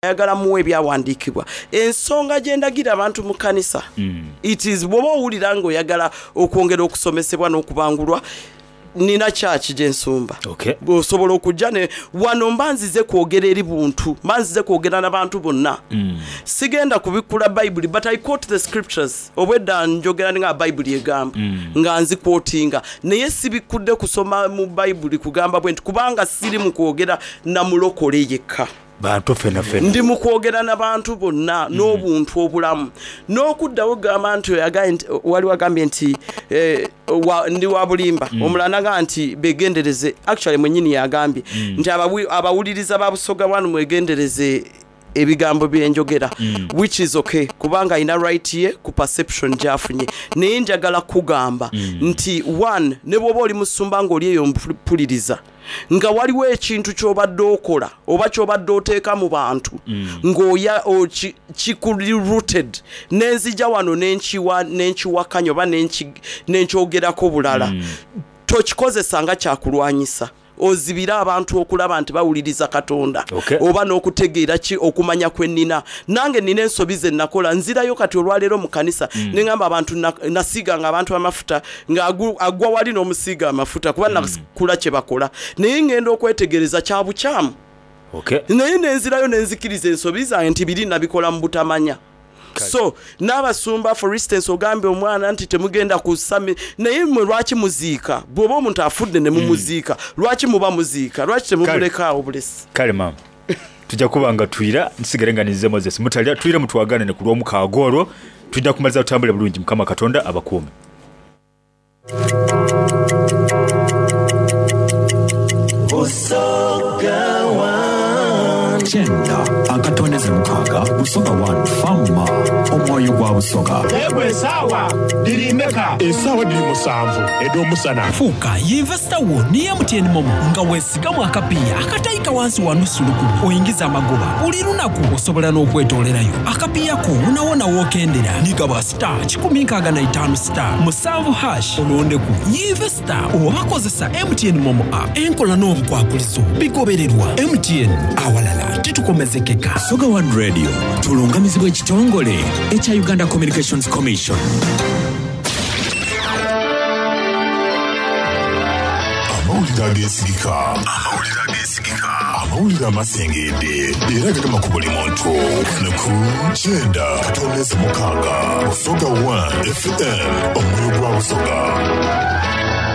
Ayagala muwe ebyawandiikibwa. Ensonga gye ndagira abantu mu kanisa, it is bw'oba owulira nga oyagala okwongera okusomesebwa n'okubangulwa, nina church gye nsumba. Okay. Osobola okujja ne wano mba nzize kwogera eri buntu, mba nzize kwogera na bantu bonna. Sigenda kubikkula Bayibuli but I quote the scriptures. Obwedda njogera nga Bayibuli egamba nga nzikwotinga naye sibikkudde kusoma mu Bayibuli kugamba bwenti kubanga siri mu kwogera na mulokole yekka. Bantu fenafena. Ndi mu kwogera na bantu bonna n'obuntu obulamu. N'okuddawo okugamba nti oyo agambye nti, waliwo agambye nti eh, wa, ndi wa bulimba. Omulala n'agamba nti begendereze, actually mwennyini y'agambye nti abawi, abawuliriza ba Busoga One mwegendereze ebigambo bye njogera, which is okay kubanga alina right ye ku perception gy'afunye. Naye njagala kugamba nti one, ne bw'oba oli musumba ng'oli eyo mpuliriza, nga waliwo ekintu ky'obadde okola oba ky'obadde oteeka mu bantu ng'oya oki, kikuli rooted, nenzija wano nenkiwa, nenkiwakanya oba nenkyogerako bulala, tokikozesa nga kyakulwanyisa. Ozibire abantu okulaba nti bawuliriza Katonda. Oba n'okutegeera ki okumanya kwe nnina. Nange nnina ensobi ze nakola, nzirayo kati olwaleero mu kanisa ne ŋŋamba abantu nasiiganga abantu amafuta nga agwa wali n'omusiiga amafuta kuba nakula kye bakola, naye ŋŋenda okwetegereza kya bukyamu. Naye nenzirayo nenzikiriza ensobi zange nti biri nabikola mu butamanya. So n'abasumba for instance ogambye omwana nti temugenda ku sami, naye mmwe lwaki muziika? Bw'oba omuntu afudde ne mumuziika, lwaki muba muziika? Lwaki temumulekaawo bulesi? Kale maama, tujja kuba nga twira nsigale nga ninze Moses Mutalya, twire mutwaganane ku lw'omukaaga olwo, twidha kumaliza tutambule bulungi. Mukama Katonda abakuume. Busoga One. Kyenda akatondeze mukaaga Busoga One Fama omwoyo gwa Busoga. Ego esaawa dhiri imeka? Esaawa dhiri musanvu edh'omusana. Fuuka yinvesita wo ni MTN Momo nga weesigamu akapiiya akataika wansi wa nusu lukumi oingize amagoba buli lunaku. Osobola n'okwetoolerayo akapiiya ko wonawona w'okendera ni gaba star 165 star musanvu hash olondeku yinvesita oba kozesa MTN Momo app. Enkola n'obukwakulizo bigobererwa. MTN awalala titukomezekeka. Busoga One Radio tulungamizibwa ekitongole ekya Uganda Communications Commission. Amawulire ageesigika. Amawulire ageesigika. Amawulire amasengedde era gagema ku buli muntu. Wano ku kyenda katondeze mukaaga Busoga One FM omwoyo gwa Busoga.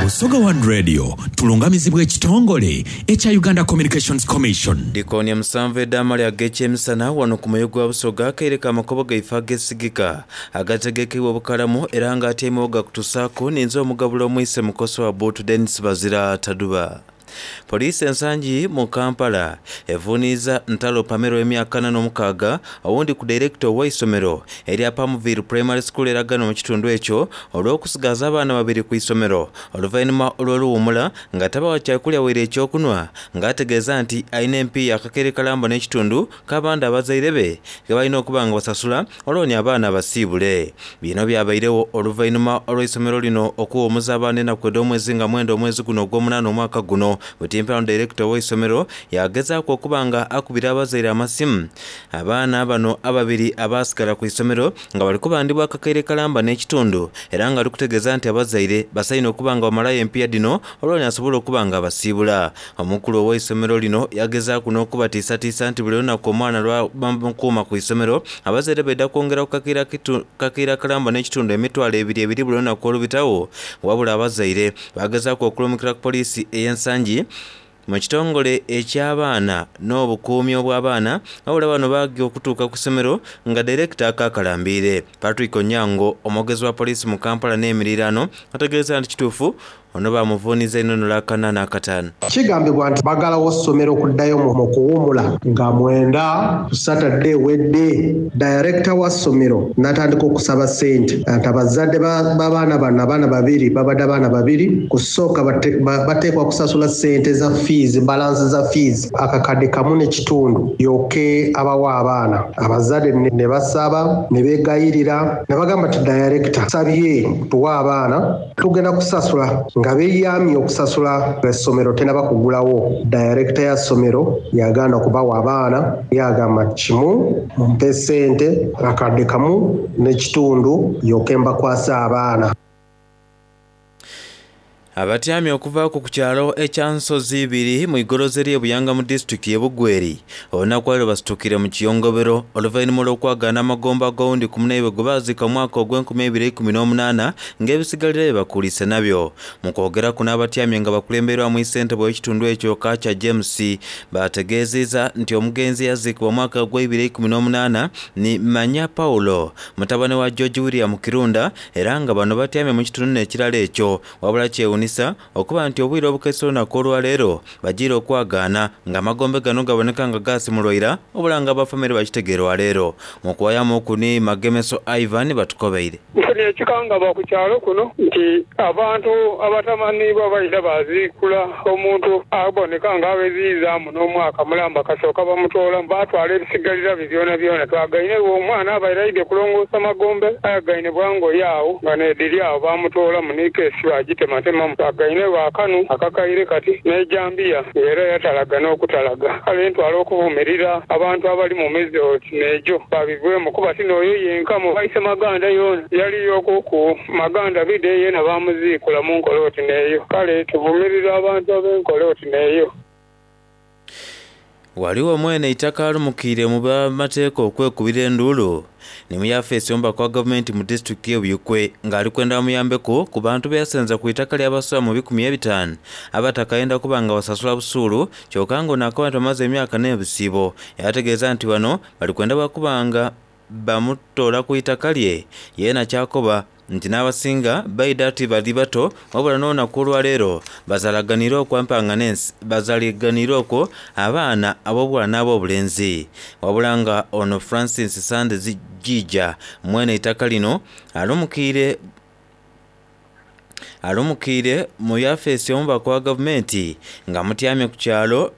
Busoga One Radio tulungamizibwa ekitongole ekya Uganda Communications Commission. Dikooni musanvu edh'amalya ag'ekyemisana wano ku mwoyo gwa Busoga akaire ka makobo gaife agesigika agategekeibwa obukalamu era nga atyaime gakutusaaku ninze omugabula omwise mukoso wa Buutu Denis Bazira Taduba. Poliisi ensangi mu Kampala evuniiza Ntalo Pamela ow'emyaka 46 owundi ku director ow'eisomero erya Palmville Primary School eragano mu kitundu ekyo olw'okusigaza abaana babiri ku isomero oluvannyuma olw'oluwumula nga tabawa kyakulya waire ekyokunwa ng'ategeeza nti alina empiiya akakere kalamba n'ekitundu k'abandi abazaire be ge balina okuba nga basasula olwoni abaana basiibule. Bino byabairewo oluvannyuma olw'eisomero lino okuwumuza abaana ennaku edh'omwezi nga mwenda omwezi guno ogw'omunaana omwaka guno. Butimpano director ow'eisomero yagezaaku okuba nga akubira abazaire amasimu. Abaana bano ababiri abaasigala ku isomero nga bali kubandibwa akakaire kalamba n'ekitundu era nga ali kutegeeza nti abazaire basaine okuba nga bamalayo empiiya dhino olwoni asobole okuba nga abasiibula. Omukulu ow'eisomero lino yagezaaku n'okubatiisatiisa nti buli lunaku omwana lwa bamukuuma ku isomero abazaire baidha kwongera ku kakeire kalamba n'ekitundu emitwalo ebiri ebiri buli lunaku olubitawo. Wabula abazaire bagezaaku okulumukira ku poliisi ey'ensangi mu kitongole eky'abaana n'obukuumi obw'abaana wabula bano baagya okutuuka ku ssomero nga direkita akakalambiire. Patrick Onyango omwogezi wa poliisi mu Kampala n'emiriraano ategeeza nti kituufu ono bamuvuuniza enono akana n'akataano. Kigambibwa nti bagalawo ssomero okuddayo mu kuwumula nga mwenda ku Saturday ewedde. Director wa ssomero n'atandika okusaba ssente nti abazadde b'abaana bano, abaana babiri, babadde abaana babiri, kusooka bateekwa kusasula ssente za fees, balance za fees akakadde kamu n'ekitundu yoke abawa abaana. Abazadde ne basaba ne beegayirira ne bagamba nti director sabye tuwa abaana tugenda kusasula Nga beyamye okusasula essomero tenaba kugulawo, dayirekita ya ssomero yagaana okubawa abaana yagamba kimu mumpe sente akadde kamu n'ekitundu yoke mbakwase abaana. Abatyamye okuvaaku ku kyalo ekya Nsozi ibiri mu igoloza ery'e Buyanga mu disitulikiti y'e Bugweri olunaku lwaleero basitukire mu kiyongobero oluvainhuma olw'okwagaana amagomba ag'owundi ku munaibwe gwe baaziika mu mwaka ogw'enkumi eibiri eikumi n'omunaana ng'ebisigalira bye bakuliise nabyo. Mu kwogeraku n'abatyamye nga bakulembeirwamu Ssentebe w'ekitundu ekyo Kacha James baategeeziiza nti omugenzi eyaziikibwa mu mwaka ogw'eibiri 18 ni Manya Paulo mutabane wa George William Kirunda era nga bano batyamye mu kitundu n'ekirala ekyo. Wabula kyewunisa okuba nti obwire obukeesa olunaku olwaleero bajiire okwagaana nga amagombe gano gaboneka nga gaasimulwa ira wabula nga aba famire bakitegeera olwaleero. Mu kuwayamuku ni Magemeso Ivan batukobeire. Nfunye ekikangabwa ku kyalo kuno nti abantu abatamanhiibwa baidha baaziikula omuntu aboneka nga aweziizaamu n'omwaka mulamba kasooka bamutoolamu baatwala ebisigalira bye byonabyona. Twagaine omwana abaire aidhye kulongoosa magombe ayagaine bwa ngoye agho nga n'edhiri agho baamutoolamu ni keesi baagitematemamu. Twagaine lwa kanu akakaire kati n'ejambiya ng'era yatalaga n'okutalaga. Kale ntwala okuvumirira abantu abali mu mize oti n'egyo babivwemu kuba ti n'oyo yenka mu baise maganda yoona yaliyoku ku maganda bidhe yeena baamuziikula mu nkola oti n'eyo. Kale tuvumirira abantu ab'enkola oti n'eyo. Ghaligho mwene eitaka alumukiire mu bamateeka okwekubira enduulu ni mu yafeesi y'omubaka wa gavumenti mu disitulikiti y'e Buikwe nga ali kwenda bamuyambeku ku bantu beyasenza ku itaka lyabasoba mu 500 abatakayenda kuba nga basasula busuulu kyoka nga ono akoba nti bamaze emyaka n'ebisiibo yategeeza nti bano bali kwenda bwakuba nga bamutoola ku itaka lye yeena kyakoba nti n'abasinga baidha ti bali bato wabula n'olunaku olwaleero bazalaganiire okwo empanga n'ensi bazaliganiire okwo abaana ab'obughala n'ab'obulenzi wabula nga ono Francis Sande Jiija mwene eitaka lino alumukiire alumukiire mu yafeesi y'omubaka wa gavumenti nga mutyamye ku kyalo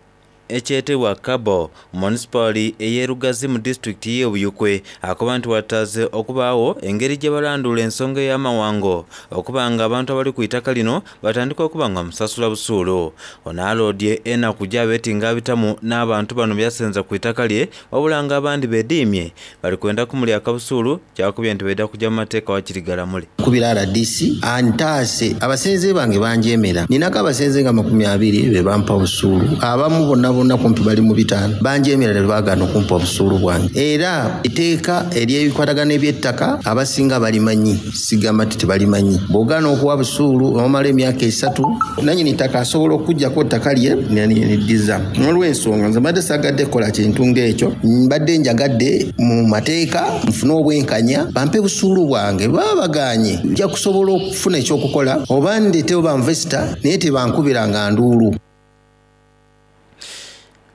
ekyetebwa Kabo munisipaali ey'e Lugazi mu disitulikiti y'e Buikwe akoba nti wataze okubaagho engeri gye balandula ensonga ey'amawango okuba nga abantu abali ku itaka lino batandika okuba nga bamusasula busuulu. Ono aloodye enaku gy'abeeti nga abitamu n'abantu bano byasenza ku itaka lye wabula nga abandi beediimye bali kwenda kumulya akabusuulu kyakubye nti baidha kuja mu mateeka wakiri galamule. Nkubira rdc antaase. Abasenze bange banjeemera. Ninaku abasenze nga 20 be bampa obusuulu. Abamu bonabona kumpi bali mu bitaanu. Banjeemera ni baagaana okumpa obusuulu bwange. Era eiteeka ery'ebikwatagana eby'ettaka abasinga balimanyi, sigamba nti tibalimanyi. Bw'ogaana okuwa busuulu omala emyaka esatu, nanyini ttaka asobola okukuggyaku ettaka lye n'aliddiza. N'olwensonga nze mbadde saagadde kukola kintu ng'ekyo, mbadde njagadde mu mateeka nfune obwenkanya bampe busuulu bwange. Bwe baba bagaanye nja kusobola okufuna eky'okukola oba ndeetewo banvesita naye tebankubiranga nduulu.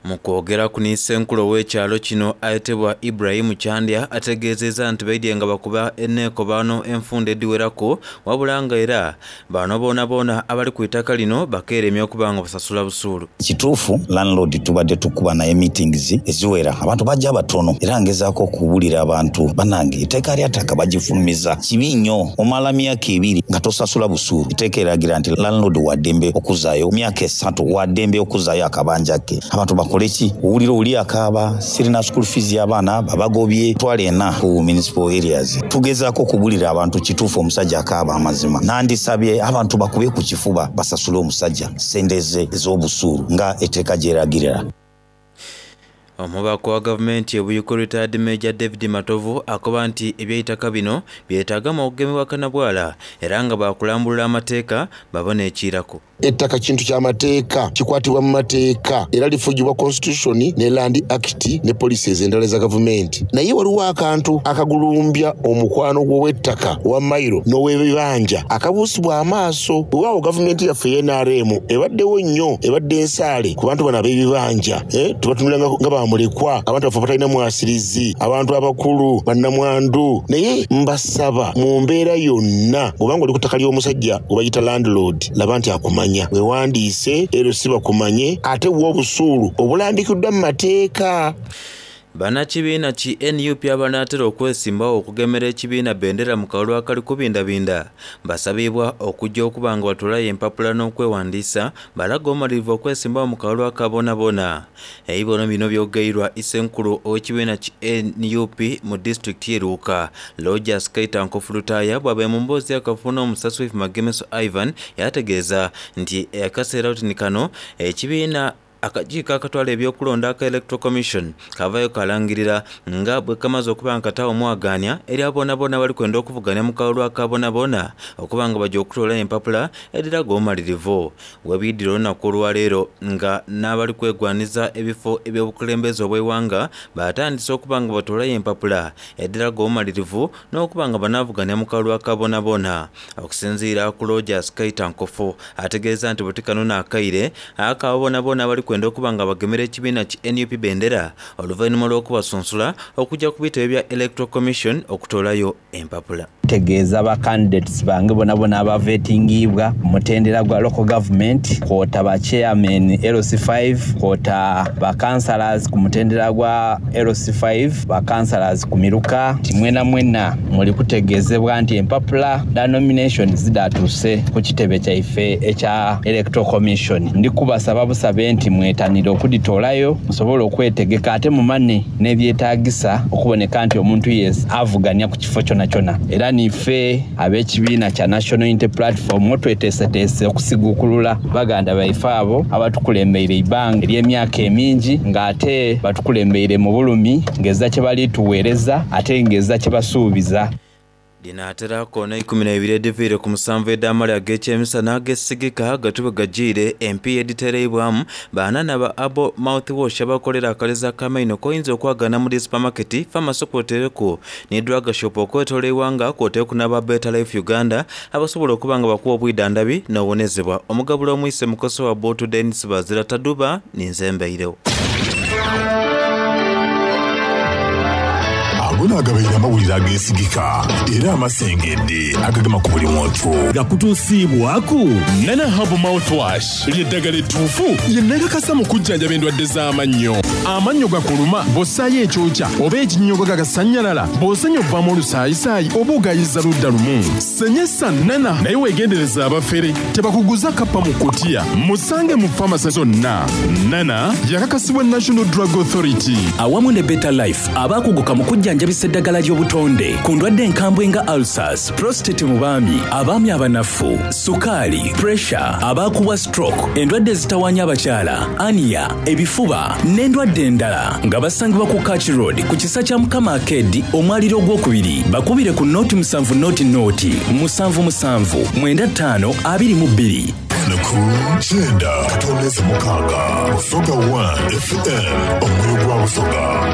Mu kwogeraku ni Ssenkulu ow'ekyalo kino ayetebwa Ibrahim Kyandya ategeezezza nti baidye nga bakuba eneekobaano enfunda edhiweraku wabula nga era bano boonaboona abali ku itaka lino bakeeremye okuba nga basasula busuulu. Kituufu landlord tubadde tukuba naye meetings eziwera abantu baja batono era ngezaku okubulira abantu banange eiteeka lya ttaka bagifulumiza kibi nnyo omala myaka ebiri nga tosasula busuulu eiteeka eragira nti landlord wadembe okuzayo myaka esatu wadembe okuzayo akabanja ke abantu bakole ki owulira oli akaaba sirina school fees y'abaana babagobye twala ena ku municipal areas tugezaku okubulira abantu kituufu omusajja akaaba amazima nandisabye abantu bakube ku kifuba basasule omusajja sente ze ez'obusuulu nga etteeka gyeragirira. Omubaka wa gavumenti e Buikwe Retired Major David Matovu akoba nti eby'eitaka bino byetaagamu okugemebwa kanabwala era nga baakulambulula amateeka babone ekiiraku. Ettaka kintu kya mateeka, kikwatibwa mu mateeka era lifugibwa Constitution ne Land Act ne policies endala eza gavumenti. Naye waliwo akantu akagulumbya omukwano gw'owettaka owa mailo n'owebibanja akabuusibwa amaaso. Weewaawo gavumenti yaffe eya nrm ebaddewo nnyo, ebadde nsaale ku bantu bano ab'ebibanja. Tubatunulira nga ba mulekwa, abantu baffe abatalina mwasirizi, abantu abakulu, bannamwandu. Naye mbasaba mu mbeera yonna bw'oba ng'oli ku ttaka ly'omusajja gwe bayita landlord, laba nti akumanya, weewandiise LC bakumanye ate wa obusuulu obulambikiddwa mu mateeka. Bannakibiina ki nup abanaatera okwesimbawo okugemera ekibiina bendera mu kalulu akali kubindabinda basabiibwa okujja okuba nga batoolayo empapula n'okwewandiisa balaga obumalirivu okwesimbawo mu kalulu aka boonaboona. Ebibono bino byogeirwa Isenkulu ow'ekibiina ki nup mu disitulikiti ye Luuka, Lojas Kaita Nkofu Lutaaya bw'abaire mu mboozi y'akafubo n'omusasi waife Magemeso Ivan yaategeeza nti akaseera oti ni kano ekibiina Akakiiko akatwala eby'okulonda aka Electoral Commission kavayo kalangirira nga bwekamaze okuba nga kataagho omwagaanya eri abo boonaboona abali kwenda okuvugania mu kalulu aka boonaboona okuba nga baja okutoolayo empapula edhiraga obumalirivu. Webiidhira olunaku olwaleero nga n'abali kwegwaniza ebifo eby'obukulembeze obw'eighanga batandise okuba nga batoolayo empapula edhiraga obumalirivu n'okuba nga banaavugania mu kalulu aka boonaboona. Okusinziira ku Rogers Kaita Nkofu ategeeza nti buti kano n'akaire Ako abo boonaboona abali kwenda okuba nga bagemera ekibiina ki nup bendera oluvainhuma lw'okubasunsula okugya ku bitebe bya Electoral Commission okutoolayo empapula. Ntegeeza ba candidates bange bonabona abavetingiibwa ku mutendera gwa local government kwota ba chairmen LC5 kwota ba councillors ku mutendera gwa LC5, ba councillors ku miruka nti mwenamwena muli kutegeezebwa nti empapula dha nominations dhatuuse ku kitebe kyaife ekya Electoral Commission. Ndi kubasaba busabe nti mwetanire okudhitoolayo musobole okwetegeka ate mumanhe n'ebyetaagisa okuboneka nti omuntu yes avugania ku kifo kyonakyona. Era niife ab'ekibiina kya National Unity Platform tweteeseteese okusiguukulula baganda baife abo abatukulembeire eibanga ery'emyaka emingi nga ate batukulembeire mu bulumi ng'ezira kye bali tugheereza ate ng'ezira kye basuubiza. Dhinaatera koona eikumi n'eibiri edhiviire ku musanvu edh'amale ag'ekyemisana agesigika gatube gajiire empiiya edhitereibwamu baana ba Herbal Mouthwash abakolera akaleza ak'amaino k'oyinza okwagaana mu dhi supamaketi, famasi kw'oteereku ni drug shop okwetoola eighanga kw'oteeku n'aba Better Life Uganda abasobola okuba nga bakuwa obwidhandhabi n'owonezebwa. Omugabula omwise Mukoso wa Bbuutu Denis Bazira Taduba ninze mbairegho. Ago naagabaire amawulire ageesigika era amasengedde agagema ku buli muntu. Gakutuusiibwaku Nana Herbal Mouthwash lye ddagala ettuufu lye nakakasa mu kujjanjaba endwadde z'amannyo. Amannyo gakuluma bw'ossaayo ekyokya oba ekinnyogoga gakasannyalala, bw'osenya ovaamu olusaayisaayi oba ogaayiza ludda lumu. Senyesa Nana naye weegendereze abafere tebakuguza kappa mu kkutiya. Musange mu famase zonna. Nana yakakasibwa National Drug Authority. Awamu ne Better Life abaakuguka mu kujjanjabisa eddagala ly'obutonde ku ndwadde enkambwe nga ulcers, prostate mu baami, abaami abanafu, sukaali, pressure, abaakubwa stroke, endwadde ezitawaanya abakyala, ania, ebifuba n'endwadde endala nga basangibwa ku Kach Road ku Kisa kya Mukama Arcade omwaliiro ogwokubiri. Bakubire ku nooti musanvu nooti nooti musanvu musanvu mwenda ttaano 22. Naku kyenda katondeze mukaaga Busoga One FM omwoyo gwa Busoga.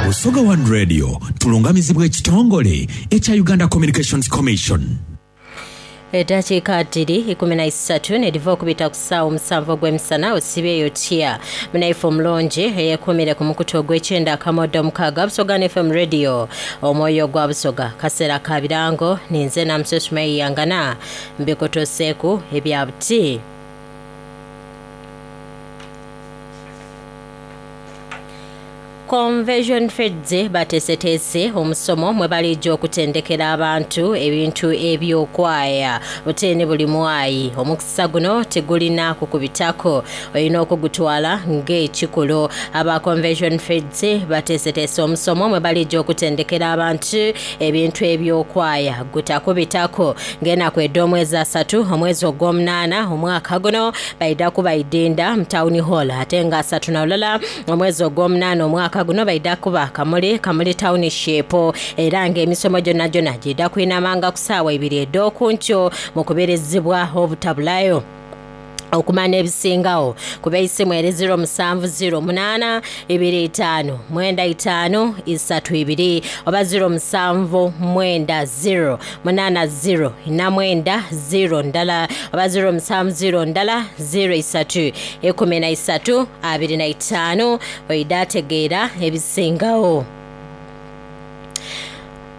Busoga One Radio tulungamizibwa ekitongole ekya Uganda Communications Commission. Eddakiika dhiri 13 nedhiva okubita ku saawa omusanvu ogw'emisana osibyeyo otya munaife omulungi eyekuumire ku mukutu ogw'ekyenda akamodo omukaaga Busoga FM Radio omwoyo gwa Busoga kaseera ka birango ninze Namuso Sumaiyangana mbikutuuseeku ebya buti. Conversion Feeds bateeseteese omusomo mwe baliija okutendekera abantu ebintu eby'okwaya buteene buli mwayi. Omukisa guno tigulina kukubitaku, olina okugutwala ng'ekikulu. Aba Conversion Feeds bateeseteese omusomo mwe baliija okutendekera abantu ebintu eby'okwaya gutakubitaku ng'enaku edh'omwezi asatu omwezi ogw'omunaana omwaka guno baidha kuba Idinda mu Town Hall ate nga asatu na lulala Omwezi ogw'omunaana omwaka guno baidha kuba Kamuli, Kamuli Township, era nga emisomo gyonagyona giidha kwinamanga ku saawa ibiri edh'okunkyo mu kubirizibwa obutabulayo. Okumanha ebisingagho kuba eisimu eri 0 7 0 8 2 5 9 5 3 2 oba 0 7 9 0 8 0 4 9 0 ndala oba 0 7 0 ndala 0 3 13 25 oidha ategeera ebisingagho.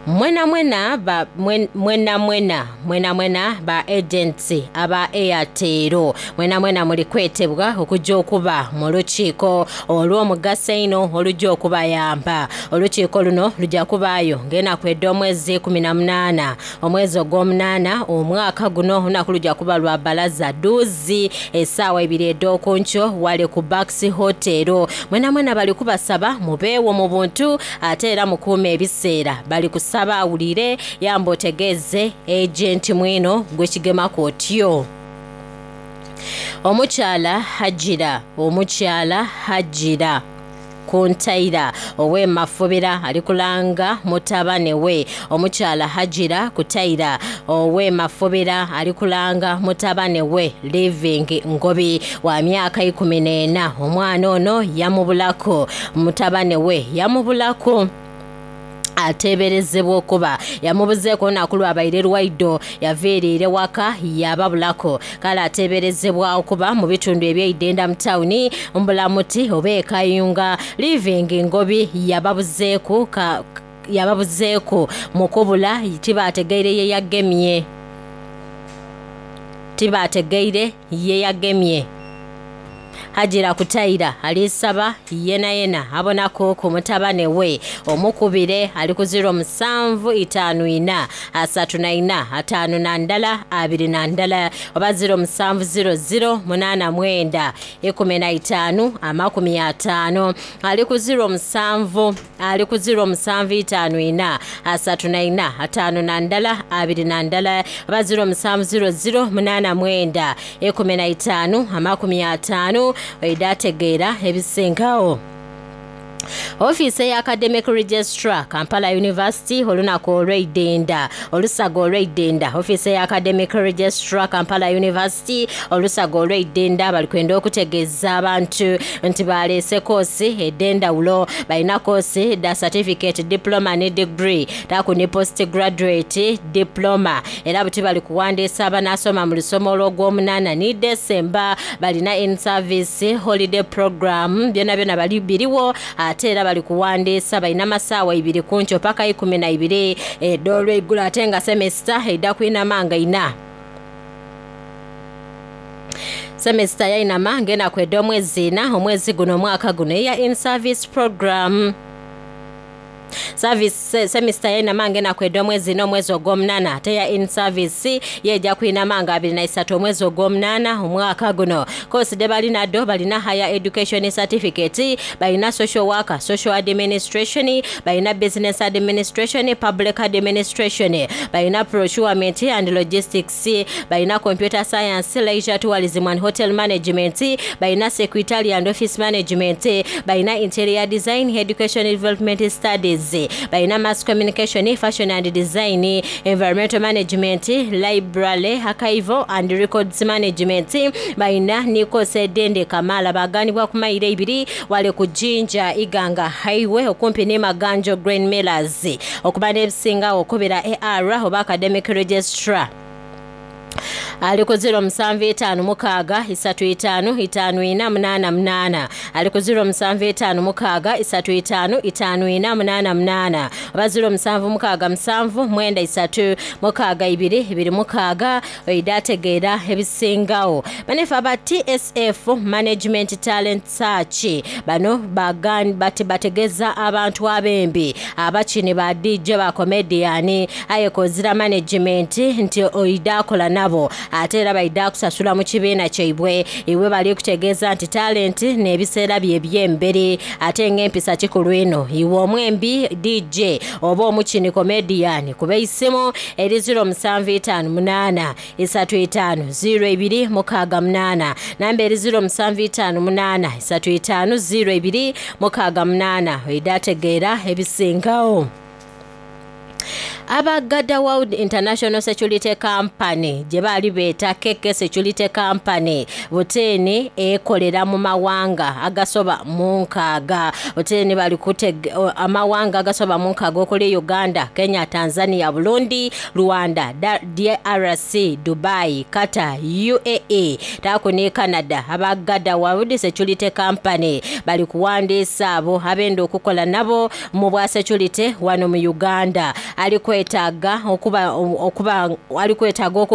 Mwenamwena ba mwenamwena mwenamwena ba agents aba Airtel mwenamwena muli kwetebwa okujja okuba mu lukiiko olw'omugaso einho olujja okubayamba. Olukiiko luno lujja kubaayo ng'enaku edh'omwezi 18 omwezi ogw'omunaana omwaka guno. Olunaku lujja kuba lwa balaza duuzi esaawa ibiri edh'okunkyo wale ku Bucks Hotel. Mwenamwena bali kubasaba mubeewo mu buntu ate era mukuume ebiseera. Bali kusaba awulire yamba otegeeze agenti mwino gwekigemaku otyo. Omukyala Hajira omukyala Hajira Kuntaira ow'e Mafubira ali kulanga mutabane we. Omukyala Hajira Kutaira ow'e Mafubira ali kulanga mutabane we Living Ngobi wa myaka 14. Omwana ono yamubulaku, mutabane we yamubulaku. Ateeberezebwa okuba yamubuzeeku olunaku lwabaire lwaido yaviiriire waka yababulako. Kale ateeberezebwa okuba mu bitundu eby'eidenda mu tawuni Mbulamuti oba e Kayunga. Living Ngobi yababuzeeku yababuzeeku mu kubula tibaategeire ye yagemye. Tibaategeire ye yagemye. Hajira Kutaira alisaba yenayena abonaku ku mutabane we omukubire ali ku 0754 34 51 21 oba 0700 89 15 50 ali ku 07 ali ku 0754 34 51 21 oba 0700 89 15 50 oidhategeera ebisingawo. Ofiisi eya Academic Registrar Kampala University olunaku olw'eidenda olusaga olw'eidenda. Ofiisi eya Academic Registrar Kampala University olusaga olw'eidenda bali kwenda okutegeeza abantu nti baleese koosi ed'endawulo. Balina koosi dha certificate, diploma ne degree taku ni post graduate diploma. Era buti bali kuwandiisa abanaasoma mu lusomo olw'ogwomunaana ni December. Balina in service holiday program byona byona bali biriwo ate era bali kuwandiisa. Balina masaawa ibiri kunkyo paka 12 ed'olweigulo ate nga semester eidha kwinama nga ina. Semester yainama ng'enaku ed'omwezi ina omwezi guno omwaka guno eya in service program. Service semester yainama ng'enaku ed'omwezi ina omwezi ogw'omunaana ate ya in service yeja kwinama nga 23 omwezi ogw'omunaana omwaka guno. Koosi de balina do balina higher education certificate, balina social worker, social administration, balina business administration, public administration, balina procurement and logistics, balina computer science, leisure tourism and hotel management, balina secretary and office management, balina interior design, education development studies, balina mass communication, fashion and design, environmental management, library, archival and records management, balina nikosi edende kamala baganibwa ku mayiro ibiri wale ku Jinja Iganga Highway okumpi ne Maganjo Grain Millers. Okuba n'ebisinga okubira AR oba academic registrar ali ku 0756 35 54 88 ali ku 0756 35 54 88 oba 0767 93 62 26 oidhategeera ebisingawo. Banefe aba TSF Management Talent Search bano bategeeza abantu abembi abakini ba DJ ba comedian aye kozira management nti oidhakola nabo ate era baidha kusasula mu kibiina kyaibwe. Iwe bali kutegeeza nti talent n'ebiseera bye eby'emberi ate ng'empisa kikulu ino. Iwe omwembi DJ oba omukini comedian kuba eisimu eri 0758 35 02 68 namba eri 0758 35 02 68 oidhategeera ebisingawo. Aba Garda World International Security Company gye baali beeta KK Security Company buteeni ekolera mu mawanga agasoba mu nkaaga. Buteeni bali amawanga agasoba mu nkaaga okuli Uganda, Kenya, Tanzania, Burundi, Rwanda, DRC, Dubai, Qatar, UAE taaku ni Canada. Aba Garda World Security Company bali kuwandiisa abo abenda okukola nabo mu bwa security wano mu Uganda. Ali kwetaaga okuba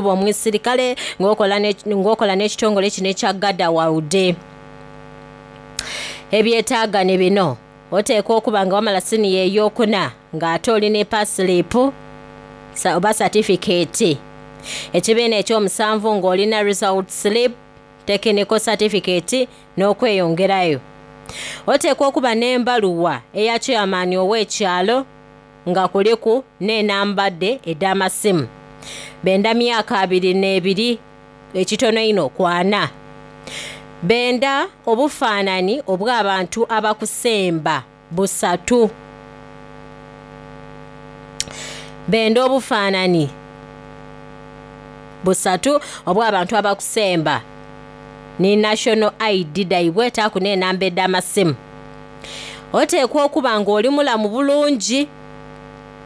omusirikale ng'okola n'ekitongole kino ekya Garda World. Ebyetaaga ne bino: oteekwa okuba nga wamala siniya ey'okuna ng'ate oli ne pass slip oba certificate, ekibiina ekyomusanvu ng'olina result slip, technical certificate n'okweyongerayo. Oteekwa okuba n'embaluwa eya chairman ow'ekyalo nga kuliku n'enamba de ed'amasimu. Benda myaka 22 ekitono ino kwana. Benda obufaanani obw'abantu abakusemba busatu. Benda obufaanani busatu obw'abantu abakusemba ni national ID daibwe taaku n'enamba ed'amasimu. Oteekwa okuba ng'oli mulamu bulungi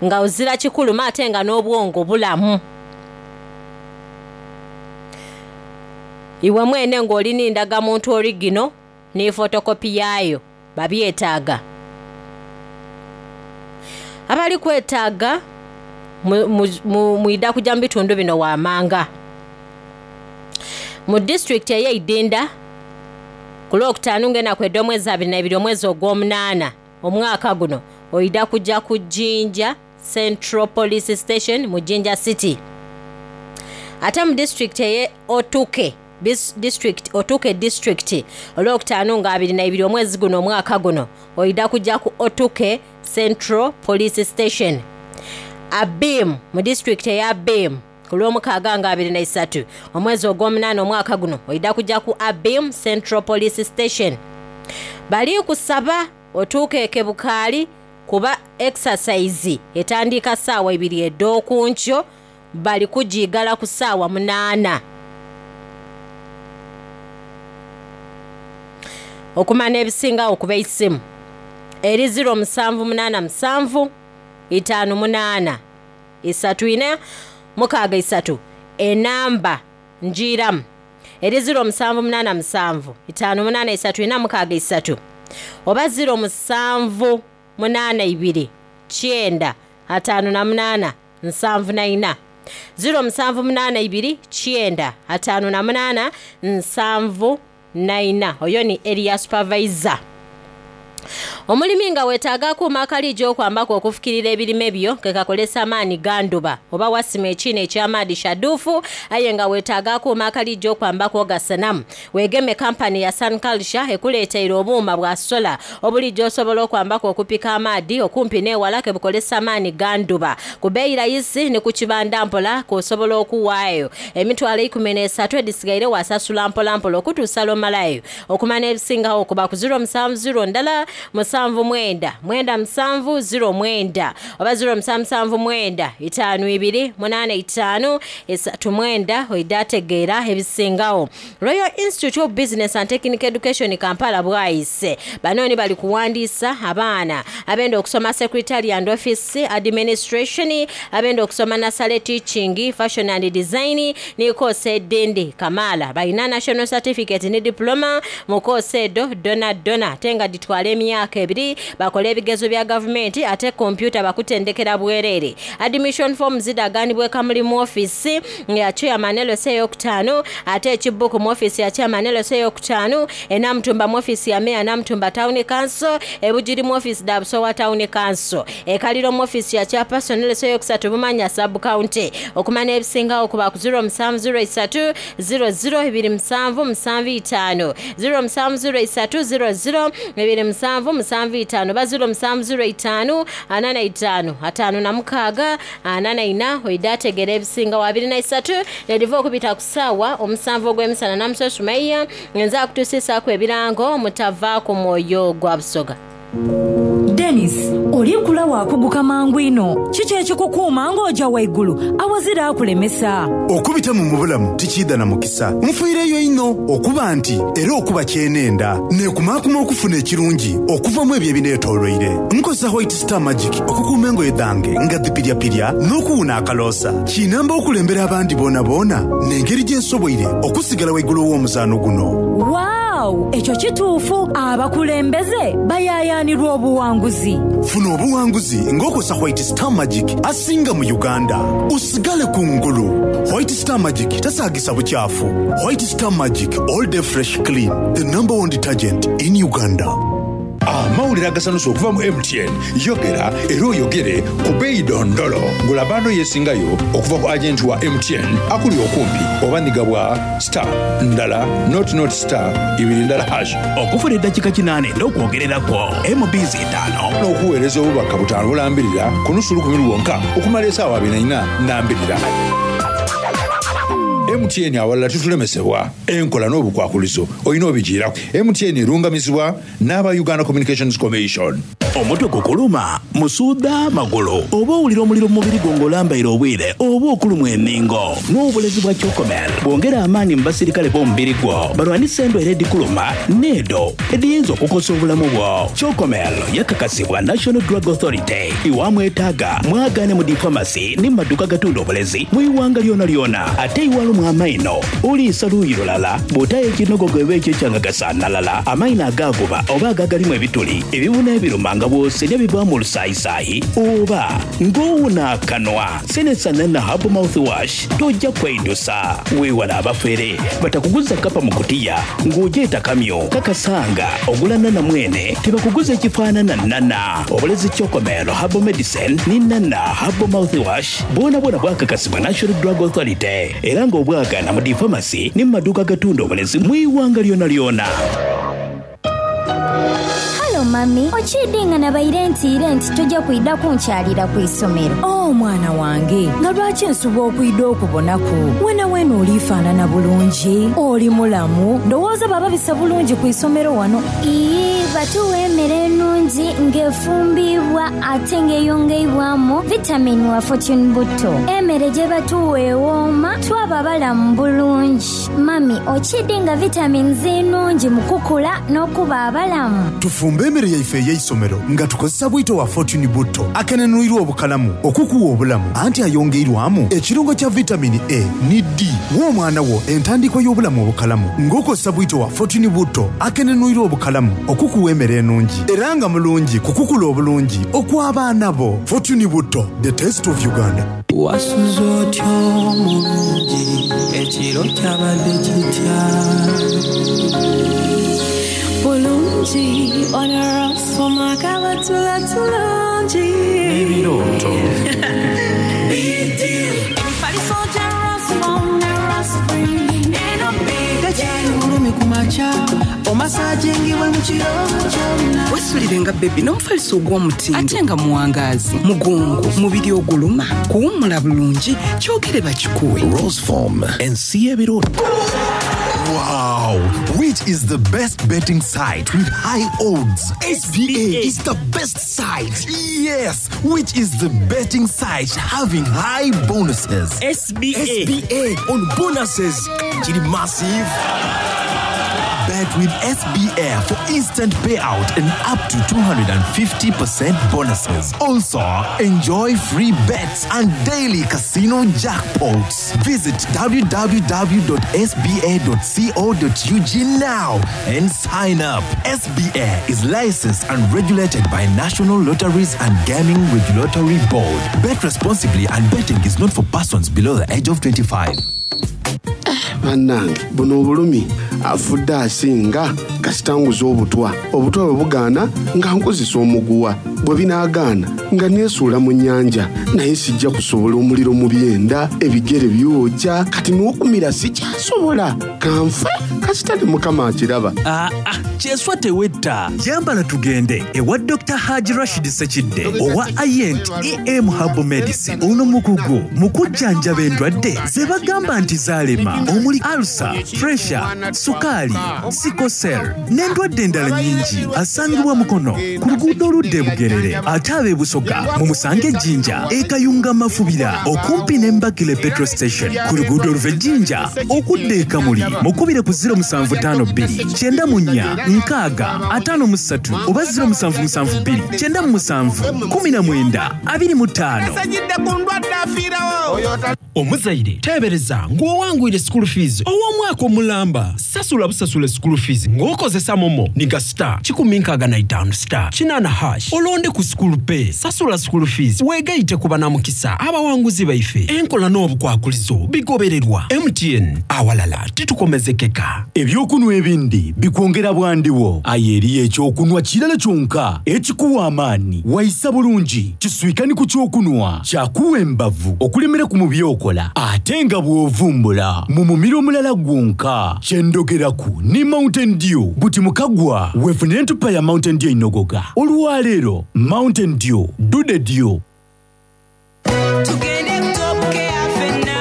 nga ozira kikuluma ate nga n'obwongo bulamu. Iwe mwene ng'olina endagamuntu origino ne fotokopi yaayo babyetaaga. Abali kwetaaga mwida kujja mu bitundu bino waamanga. Mu disitulikiti ey'Eidinda ku Lwokutaano ng'enaku ed'omwezi 22 omwezi ogw'omunaana omwaka guno oida kujja ku Jinja Central Police Station mu Jinja City. Ate mu disitulikiti ey'e Otuke, Otuke district olwokutaano nga 22 omwezi guno omwaka guno oida kujja ku Otuke Central Police Station. Abim mu disitulikiti eya Abim ku lwomukaaga nga 23 omwezi ogw'omunaana omwaka guno oida kujja ku Abim Central Police Station. Bali kusaba otuuke Kebukaali kuba exercise etandika ssaawa 2 ed'okunkyo, bali kugiigala ku ssaawa 8. Okumanya ebisingawo kuba esimu eri 0787 58 34 63, enamba njiiramu eri 0787 58 34 63 oba 0782 9 58 74, 0782 9 58 74. Oyo ni area supervisor. Omulimi nga weetaaga akuuma akaliija okwambako okufukirira ebirime byo ke kakolesa amaani ganduba oba wasima ekiina eky'amaadi shaduufu, aye nga weetaaga akuuma akaliija okwambako ogasanamu, weegeme kampani ya Sun Culture ekuleeteire obuuma bwa sola obulijjo osobola okwambako okupika amaadi okumpi n'ewala ke bukolesa amaani ganduba ku bbeeyi rayisi ne ku kibanda mpola k'osobola okuwaayo 13,000 edisigaire wasasula mpolampola okutuusa lw'omalayo. Okumanya ebisingawo okuba ku 070 ndala 79 97 09 oba 0779 52 85 39 oida ategeera ebisingawo. Royal Institute of Business and Technical Education Kampala bwayise bano bali kuwandiisa abaana abenda okusoma secretary and office administration, abenda okusoma nursery teaching, fashion and design ne course edindi kamala. Balina national certificate ne diploma mu course edo dona dona ate nga ditwala emyaka 2 bakole ebigezo bya gavumenti ate kompyuta bakutendekera bwerere. Admission form zidaganibwa Kamuli mu office ya chairman LC eyokutaano, ate ekibuku mu office ya chairman LC eyokutaano, Enamutumba mu office ya mayor Namutumba Town Council, Ebugiri mu office da Busowa Town Council, Ekaliro mu office ya chairperson LC eyokusatu Bumanya sub county. Okumanya ebisingawo kuba ku 0703 00 27 75, 0703 00 27 75 ba 0705 45 56 44 oida ategera ebisinga wa 23 nediva okubita ku ssaawa 7 ogw'emisana. Namuso Sumaiya ngenza akutusiisaako ebirango mutava ku mwoyo gwa Busoga. Denis, oli kula waakuguka mangu inho. Kiki ekikukuuma ng'oja waigulu awazira akulemesa? Okubitamu mu bulamu tikiidha na mukisa. Nfiireyo inho okuba nti era okuba kyenenda. Nekumaakuma okufuna ekirungi okuva mu ebyo ebinetoloire. Nkozesa White Star Magic okukuuma engoye dhange nga dhipiryapirya n'okuwuna akaloosa. Kinamba okulembera abandi boonaboona n'engeri gye nsoboire okusigala waigulu ow'omuzaano guno. Waaw! Ekyo kituufu! Abakulembeze bayaayaanirwa obuwanguzi. Funa obuwanguzi ng'okozesa White Star Magic asinga mu Uganda. Osigale ku ngulu! White Star Magic tasaagisa bukyafu. White Star Magic all day fresh clean, the number one detergent in Uganda. Amawulire agasanusa okuva mu MTN, Yogera era oyogere ku beeyi dondolo. Gula bando yesingayo okuva ku agenti wa MTN akuli okumpi oba nhiga bwa star ndala nought nought star ibiri ndala hash. Okufuna edakika kinana edh'okwogereraku, MBs itaano. N'okuweereza obubaka butaanu bulambirira ku nusu lukumi lwonka okumala esaawa abiri na ina nambirira. MTN awalala titulemesebwa. Enkola n'obukwakulizo olina obijiiraku. MTN erungamizibwa n'aba Uganda Communications Commission. Omutwe gukuluma, musuudha, magulu, oba owulira omuliro mu mubiri gwo ng'olambaire obwire oba okulumwa enhingo? Nwa obulezi bwa Chocomel bwongera amaani mu basirikale b'omubiri gwo balwanise endwaire edhikuluma n'edho edhiyinza okukosa obulamu bwo. Chocomel yakakasibwa National Drug Authority. Iwamwetaaga mwagaane mu dhi famasi ni mu maduuka agatunda obulezi mu ighanga lyonalyona. Ate iwalumwa amaino, oliisa luuyi lulala, bw'otaayo ekinogogo eba ekyo ekyangagasa nalala, amaino agaaguba oba ago agalimu ebituli, ebibuna ebiruma nga bw'osenhya bivaamu olusaayisaayi oba ng'owuna akanwa. Senesa Nana Herbal Mouthwash toja kweidusa. Weewale abafere batakuguza kapa mu kutiya ng'ogyeta kamyu. Kakasa nga ogula Nana mwene tibakuguza ekifaanana Nana. Obulezi Chocomel Herbal Medicine ni Nana Herbal Mouthwash bwonabwona bwakakasibwa National Drug Authority era nga obwagaana mu dhi famasi ni mu maduuka agatunda obulezi mu ighanga lyonalyona. Halo mami, okiidhi nga nabaire ntiire nti toja kwidha kunkyalira ku isomero? Oh mwana wange, nga lwaki nsubwa okwidha okubonaku? Wenaweena oli faanana bulungi, oli mulamu, ndowooza bababisa bulungi ku isomero wano. Iyii, batuwa emere enungi nga efumbiibwa ate nga eyongeibwamu vitamini wa Fortune Butto. Emere gyebatuwa ewooma twaba balamu bulungi. Mummy, okiidhi nga vitamins nnhungi mu kukula n'okuba abalamu? Tufumbe emere yaife ey'eisomero nga tukozesa bwito wa Fortune Butto akenenwirwa obukalamu okukuwa obulamu anti ayongeirwamu ekirungo kya vitamini A ni D. Wa omwana wo entandikwa y'obulamu obukalamu ng'okozesa bwito wa Fortune Butto akenenwirwa obukalamu okukuwa emere enungi era nga mulungi ku kukula obulungi okw'abaana bo. Fortune Butto, the taste of Uganda. Wasuze otya omulungi ekiro kyabadde kitya? Bulungi ono Rosfom akabatula tulungi. N'ebirooto. Emifaliso gya Rosfom ne Rospring eno big deal. Tekyali bulumi ku makya omasajingibwa mu kiro kyonna. Wesulire nga bebi n'omufaliso ogw'omutindo ate nga muwangaazi, mugongo, mubiri oguluma, kuwummula bulungi, kyogere bakikuwe. Roseform, ensi y'ebirooto. Wow! Which is the best betting site with high odds? SBA is the best site. Yes! Which is the betting site having high bonuses? SBA. SBA on bonuses. Chili massive. Bet with SBA for instant payout and up to 250% bonuses. Also, enjoy free bets and daily casino jackpots. Visit www.sba.co.ug now and sign up. SBA is licensed and regulated by National Lotteries and Gaming Regulatory Board. Bet responsibly and betting is not for persons below the age of 25. Bannange buno obulumi afudde asinga kasita nguza obutwa. Obutwa bwe bugaana nga nkozesa omuguwa, bwe binaagaana nga neesuula mu nnyanja. Naye sijja kusobola omuliro mu byenda, ebigere byokya, kati n'okumira sikyasobola. Kanfe kasita ne Mukama akiraba. Aa, kyeswa tewetta. Yambala tugende ewa Dokita Hajji Rashid Ssekidde owa Ayent EM Herbal Medicine. Ono mukugu mu kujjanjaba endwadde ze bagamba nti zaalema omuli ulcer, pressure, Sukaali, Sickle Cell n'endwadde endala nnyingi. Asangibwa Mukono ku luguudo oludda e Bugerere ate ab'e Busoga mumusange e Jinja e Kayunga Mafubira okumpi ne Mbagile Petrol Station ku luguudo oluva e Jinja okudda e Kamuli. Mukubire ku 0752 94 60 53 oba 0772 97 19 25. Esajidde ku ndwadde afiirawo. Omuzaire teebereza ng'owangwire school fees ow'omwaka omulamba. Sasula busasule school fees ng'okozesa momo niga star 165 star 8 hash olonde ku school pay. Sasula school fees weegaite ku banamukisa abawanguzi baife. Enkola n'obukwakulizo bigobererwa. MTN, awalala titukomezekeka. Eby'okunwa ebindi bikwongera bwandiwo, aye eriyo eky'okunwa kirala kyonka ekikuwa amaani waisa bulungi. Kiswika ni ku ky'okunwa kyakuwa embavu okulemeraku mu by'okola ate nga bw'ovumbula mu mumiro mulala gwonka. Kye ndhogeraku ni Mountain Dew. Buti mu kagwa weefunire entupa ya Mountain Dew einhogoga olwaleero. Mountain Dew, do the dew. Tugende ku Top Care ffenna.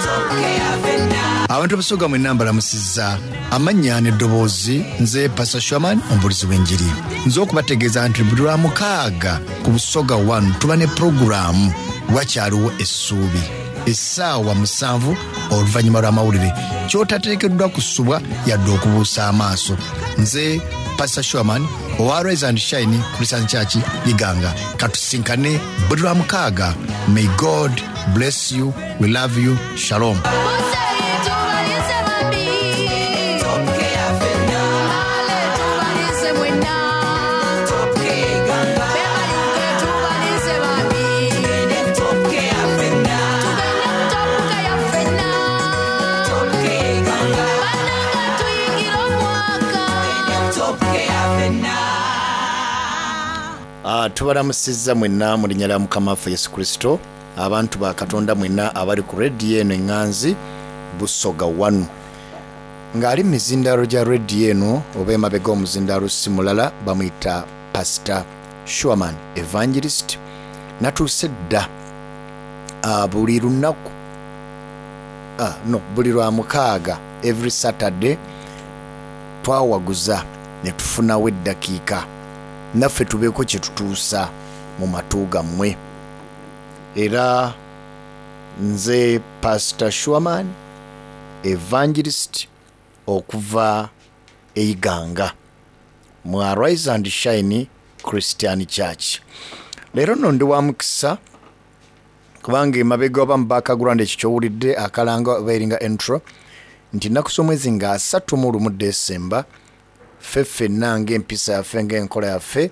Top Care ffenna. Abantu abasoga mwenna mbalamusizza amannya n'eddoboozi nze Pastor Sherman omubuulizi w'enjiri. Nze okubategeeza nti buli lwa mukaaga ku Busoga 1 tuba ne pulogulaamu Wakyaliwo Essuubi essaawa 7 oluvannyuma lw'amawulire ky'otateekeddwa kusubwa yadde okubuusa amaaso. Nze Pastor Sherman owa Rise and Shine Christian Church Iganga. Katusinkane buli lwa mukaaga. May God bless you. We love you. Shalom. Ah, tubalamusizza mwenna mu linnya lya mukama waffe yesu kristo abantu ba katonda mwenna abali ku rediyo eno eŋŋanzi busoga 1 ng'ali mu mizindaalo gya rediyo eno oba emabega omuzindaalo si mulala bamuyita pasita shuaman evangelist natuuse dda ah, buli lunaku ah, no buli lwa mukaaga every saturday twawaguza ne tufunawo eddakiika naffe tubeeko kye tutuusa mu matu gammwe. Era nze Pastor Shuaman Evangelist okuva e Iganga mu Arise and Shine Christian Church. Leero nno ndi wa mukisa kubanga emabega oba mu background ekyo ky'owulidde akalanga oba eringa intro nti ennaku z'omwezi nga 31 December ffe ffenna ng'empisa yaffe ng'enkola yaffe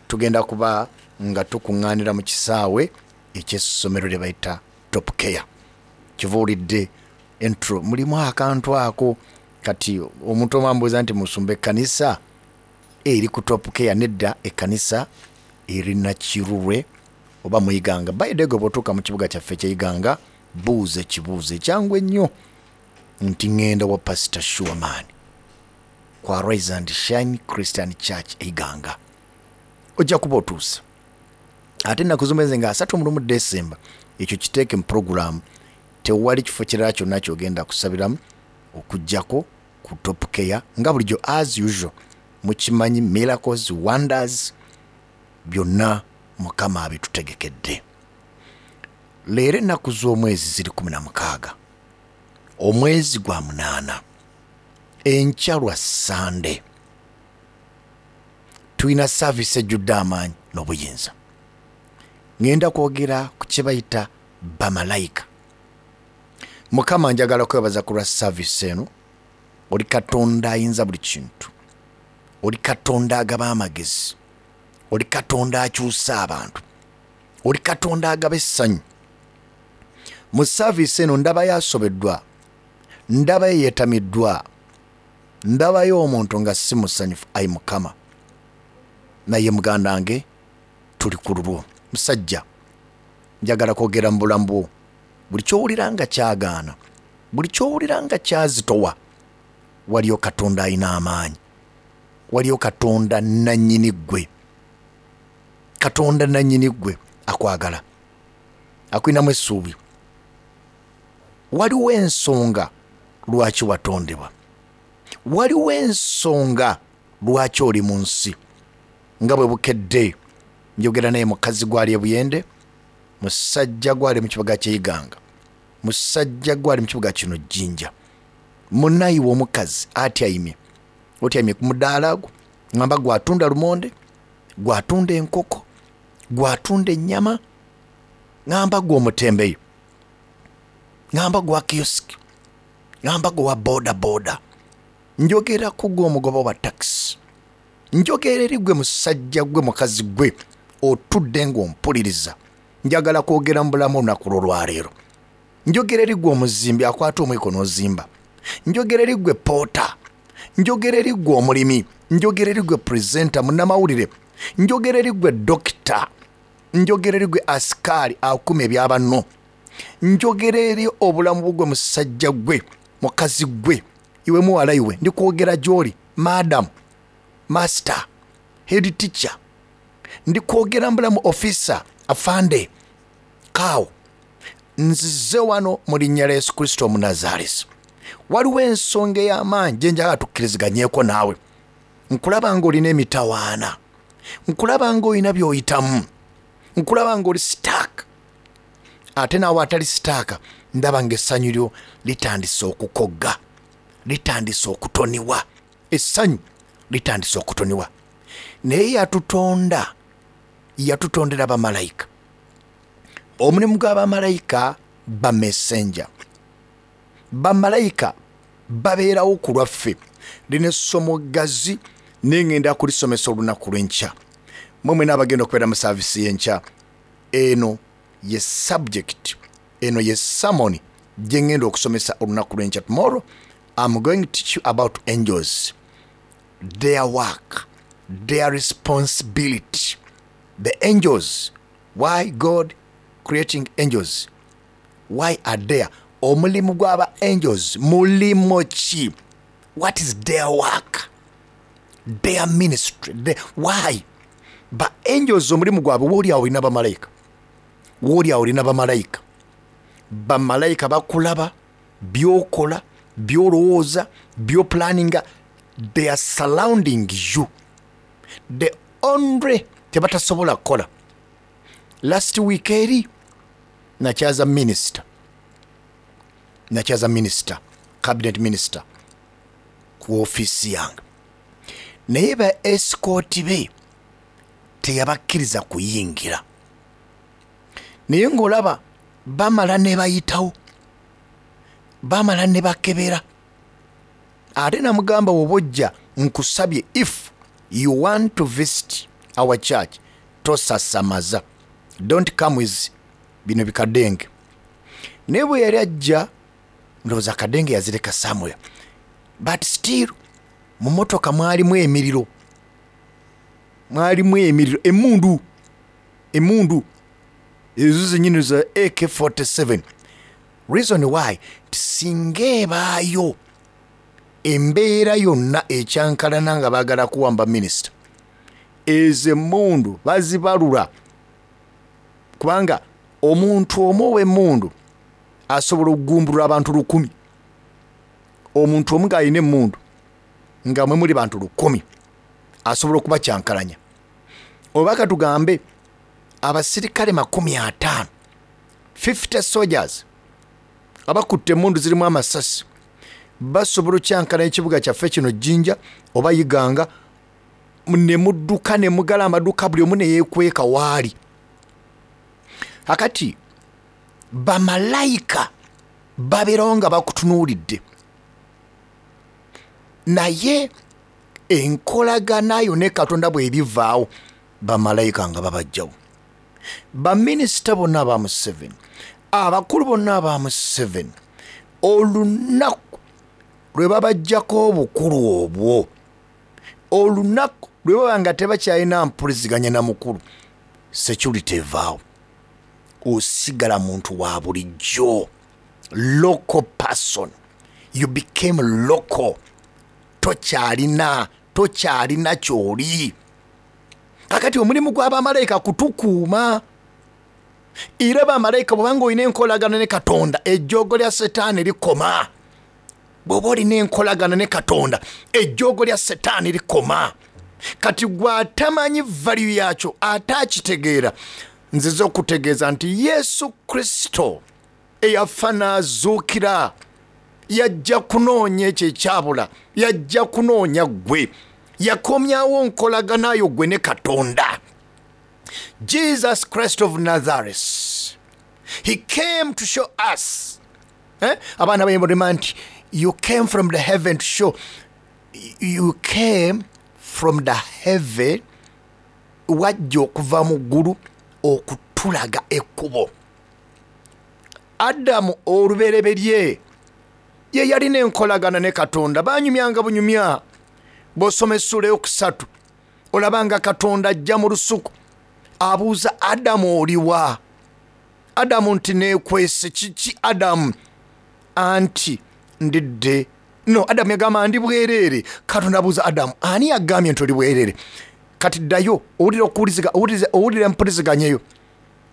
tugenda kuba nga tukuŋŋaanira mu kisaawe eky'essomero lye bayita Top Care. Kyova owulidde intro mulimu akantu ako kati omuntu omu ambuuza nti musumba ekkanisa eri ku Top Care nedda ekkanisa eri Nakirulwe oba mu Iganga. By the way bw'otuuka mu kibuga kyaffe eky'e Iganga buuza ekibuuzo ekyangu ennyo nti ŋŋenda wa Pastor Sure Man ku Arise and Shine Christian Church e Iganga ojja kuba otuuse. Ate ennaku z'omwezi nga 31 December ekyo kiteeke mu pulogulaamu, tewali kifo kirala kyonna ky'ogenda kusabiramu okuggyako ku Top Care nga bulijjo as usual mukimanyi miracles wonders byonna Mukama abitutegekedde. Leero ennaku z'omwezi ziri 16 omwezi gwa munaana enkya lwa Ssande tulina saaviisi ejjudde amaanyi n'obuyinza. Ŋŋenda kwogera ku kye bayita bamalayika. Mukama njagala kwebaza ku lwa saaviisi eno. Oli Katonda ayinza buli kintu, oli Katonda agaba amagezi, oli Katonda akyusa abantu, oli Katonda agaba essanyu. Mu saaviisi eno ndabayo asobeddwa, ndabayo yeetamiddwa, ndabayo omuntu nga si musanyufu. Ayi Mukama, naye muganda wange tuli ku lulwo. Musajja, njagala kwogera mu bulamu bwo. Buli ky'owulira nga kyagaana, buli ky'owulira nga kyazitowa, waliyo Katonda alina amaanyi, waliyo Katonda nannyini ggwe. Katonda nannyini ggwe akwagala, akulinamu essuubi. Waliwo ensonga lwaki watondebwa. Waliwo ensonga lwaki oli mu nsi. Nga bwe bukedde njogera naye mukazi gwali e Buyende, musajja gwali mu kibuga ky'e Iganga, musajja gwali mu kibuga kino Jinja. Munayiwe omukazi atyaimye, otyaimye ku mudaala gwo, ngamba gwatunda lumonde, gwatunda enkoko, gwatunda ennyama, ngamba gwe omutembeyi, ngamba gwa kiosk, ngamba gwe wa boda boda, njogera ku gwe omugoba wa taxi, njogera eri gwe musajja gwe mukazi gwe otudde ng'ompuliriza. Njagala kwogera mu bulamu olunaku lw'olwaleero. Njogera eri gwe omuzimbi akwata omwiko n'ozimba, njogera eri gwe poota, njogera eri gwe omulimi, njogera eri gwe presenter munnamawulire, njogera eri gwe dokita, njogera eri gwe asikaali akuma ebyabanno, njogera eri obulamu bwe musajja gwe mukazi gwe iwe muwala iwe, ndikwogera gy'oli madam, master, head teacher, ndikwogera mbulamu officer, afande, kaawo. Nzize wano mu linnya lya Yesu Kristo Omunazaalesi. Waliwo ensonga ey'amaanyi gye njagala tukkiriziganyeeko naawe. Nkulaba ng'olina emitawaana, nkulaba ng'olina by'oyitamu, nkulaba ng'oli sitaaka, ate naawe atali sitaaka ndaba ng'essanyu lyo litandise okukogga, litandise okutoniwa, essanyu litandise okutoniwa. Naye yatutonda, yatutondera bamalayika. Omulimu gwa bamalayika ba messenger. Bamalayika babeerawo ku lwaffe. Lino essomo ggazi naye ngenda kulisomesa olunaku lw'enkya. Mmwe mwena abagenda okubeera mu saavisi y'enkya, eno ye subject, eno ye sermon gye ngenda okusomesa olunaku lw'enkya. Tomorrow I'm going to teach you about angels, their work, their responsibility. The angels, why God creating angels? Why are there? Omulimu gw'aba angels mulimu ki? What is their work? Their ministry? Why? Ba angels omulimu gwabwe, wooli awo olina bamalayika, wooli awo olina bamalayika. Bamalayika bakulaba by'okola, by'olowooza, by'oplaninga. They are surrounding you. The only tebatasobola kukola. Last week eri nakyaza minister, nakyaza minister, cabinet minister ku ofiisi yange, naye ba escort be teyabakkiriza kuyingira. Naye ng'olaba bamala ne bayitawo, bamala ne bakebera. Ate namugamba, woba ojja nkusabye, if you want to visit our church, tosasamaza, don't come with bino bikadenge. Naye bwe yali ajja, ndowooza akadenge yazireka somewhere, but still mu motoka mwalimu emiriro, mwalimu emiriro, emundu, emundu ezo zenyini za AK47. Reason why, singa ebaayo embeera yonna ekyankalana nga baagala kuwamba minisita, ezo emmundu bazibalula, kubanga omuntu omu ow'emmundu asobola okugumbulula abantu 1000. Omuntu omu ng'alina emmundu nga mwe muli bantu 1000 asobola okubakyankalanya. Oba katugambe abasirikale 50, 50 soldiers abakutte emmundu zirimu amasasi basobola okyankalanya ekibuga kyaffe kino Jinja oba Iganga, ne mudduka ne mugala amaduuka, buli omu ne yeekweka waali. Akati bamalayika babeerawo nga bakutunuulidde, naye enkolagana yo ne Katonda bw'ebivaawo, bamalayika nga babajjawo. Baminisita bonna aba Museveni, abakulu bonna aba Museveni, olunaku lwe babajjako obukulu obwo, olunaku lwe baba nga tebakyalina mpuliziganya na mukulu, security evaawo, osigala muntu wa bulijjo, local person, you became local, tokyalina kyoli. Kakati omulimu gw'abamalayika kutukuuma. Era bamalayika bw'obanga olina enkolagana ne Katonda, ejjoogo lya Setaani likoma. Bw'oba olina enkolagana ne Katonda, ejjoogo lya Setaani likoma. Kati gwe atamanyi value yakyo, ate akitegeera, nzize okutegeeza nti Yesu Kristo eyafa n'azuukira yajja kunoonya ekyo ekyabula, yajja kunoonya ggwe, yakomyawo nkolagana yo ggwe ne Katonda. Jesus Christ of Nazareth, he came to show us. Abaana bayimba nti you came from the heaven to show, you came from the heaven, wajja okuva mu ggulu okutulaga ekkubo. Adamu olubereberye ye yalina enkolagana ne Katonda, banyumyanga bunyumya. Bw'osoma essuula eyokusatu olaba nga Katonda ajja mu lusuku abuuza Adamu oliwa? Adamu nti neekwese. Kiki Adamu? Anti ndidde. No, Adamu yagamba ndi bwereere. Katonda abuuza Adamu, ani yagambye nti oli bwereere? Kati ddayo owulira okuwuliziga, owulira empuliziganya eyo.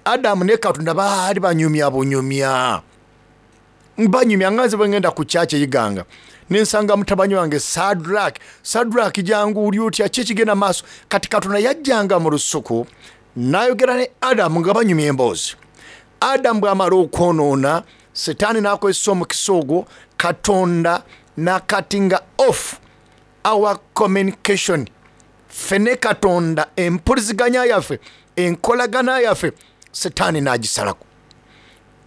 Adamu ne Katonda baali banyumya bunyumya, banyumya nga nze bwe ngenda ku kyaki eyiganga nensanga mutabani wange Sadrak. Sadrak, jangu, oli otya? Ki ekigenda maaso? Kati Katonda yajjanga mu lusuku n'ayogera ne Adamu nga banyumya emboozi. Adamu bw'amala okwonoona, Setaani n'akozesa omukisa ogwo, Katonda n'akatinga off our communication. Ffe ne Katonda, empuliziganya yaffe, enkolagana yaffe, Setaani n'agisalako.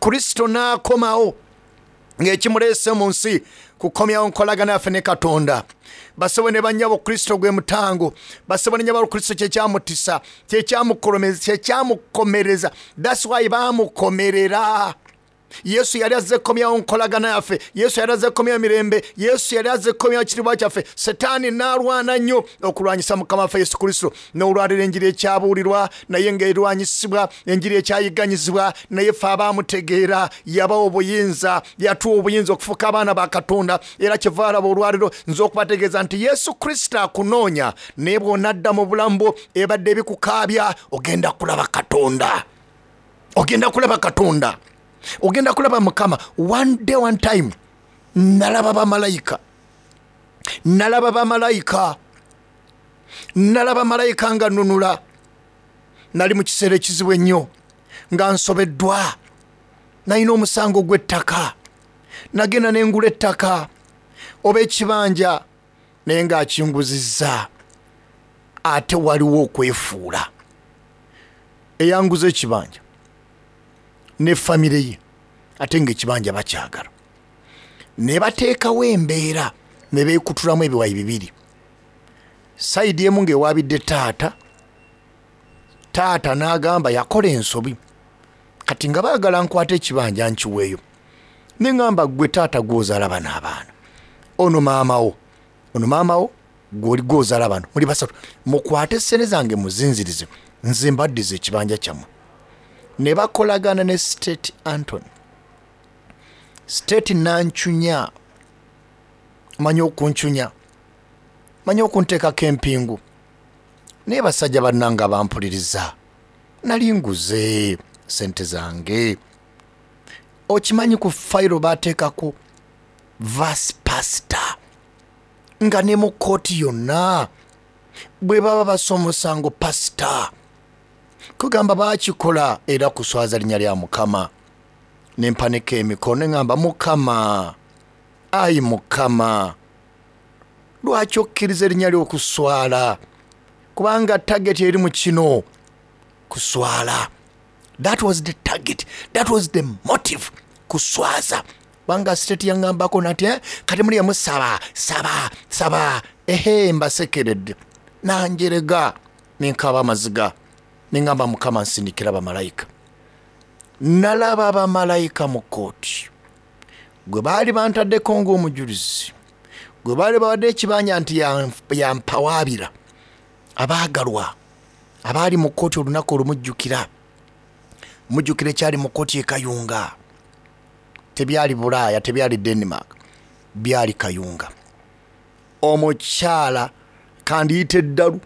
Kristo n'akomawo ng'ekimuleese mu nsi kukomyawo nkolagana yaffe ne Katonda. Basebo ne bannyabo, Kristo gwe mutango. Basebo ne nnyabo, Kristo kyekyamutisa, kyekyamukomereza. That's why baamukomerera. Yesu yali azze kukomyawo nkolagana yaffe. Yesu yali azze kukomyawo mirembe. Yesu yali azze kukomyawo kitiibwa kyaffe. Setaani n'alwana nnyo okulwanyisa Mukama waffe Yesu Kristo. N'olwaliro enjiri ekyabuulirwa naye ng'erwanyisibwa, enjiri ekyayigganyizibwa, naye ffe abaamutegeera yabawa obuyinza, yatuwa obuyinza okufuuka abaana ba Katonda. Era kyeva alaba olwaliro nze okubategeeza nti Yesu Kristo akunoonya, naye bw'onadda mu bulamu bwo ebadde ebikukaabya, ogenda kulaba Katonda, ogenda kulaba Katonda, ogenda kulaba Mukama. One day, one time, nalaba bamalayika, nalaba bamalayika, nalaba malayika nga nunula. Nali mu kiseera ekizibu ennyo nga nsobeddwa, nalina omusango gw'ettaka, nagenda nengula ettaka oba ekibanja naye ng'akinguzizza, ate waliwo okwefuula. Eyanguza ekibanja ne famire ye, ate ng'ekibanja bakyagala, ne bateekawo embeera ne beekutulamu ebiwayi bibiri. Sayidi emu ng'ewaabidde taata, taata n'agamba yakola ensobi, kati nga baagala nkwate ekibanja nkiweeyo. Ne ŋŋamba, ggwe taata gw'ozaala bano abaana, ono maama wo, ono maama wo, gw'oli gw'ozaala bano, muli basatu, mukwate ssente zange muzinzirize, nze mbaddiza ekibanja kyammwe. Ne bakolagana ne State Antony. State nancunya, manyi okuncunya, manyi okunteekako empingu, naye basajja bannange abampuliriza, nali nguze sente zange. Okimanyi ku fayiro bateekako vice pastor, nga ne mu kkooti yonna bwe baba basoma omusango pasita kugamba baakikola era kuswaza linnya lya Mukama. Ne mpanika emikono ne ŋŋamba, Mukama, ayi Mukama, lwaki okkiriza erinnya ly'okuswala? Kubanga target eri mu kino kuswala. That was the target, that was the motive, kuswaza. Kubanga state yaŋŋambako nati, kati muli musaba saba saba, ehe, mbasekeredde. Nanjerega nenkaba amaziga, neŋŋamba, Mukama, nsindikira bamalayika. Nalaba bamalayika mu kkooti gwe baali bantaddeko ng'omujulizi, gwe baali bawadde ekibanja nti yampawaabira. Abaagalwa abaali mu kkooti olunaku olumujjukira, mujjukira ekyali mu kkooti e Kayunga. Tebyali Bulaaya, tebyali Denmark, byali Kayunga. Omukyala kandiyita eddalu,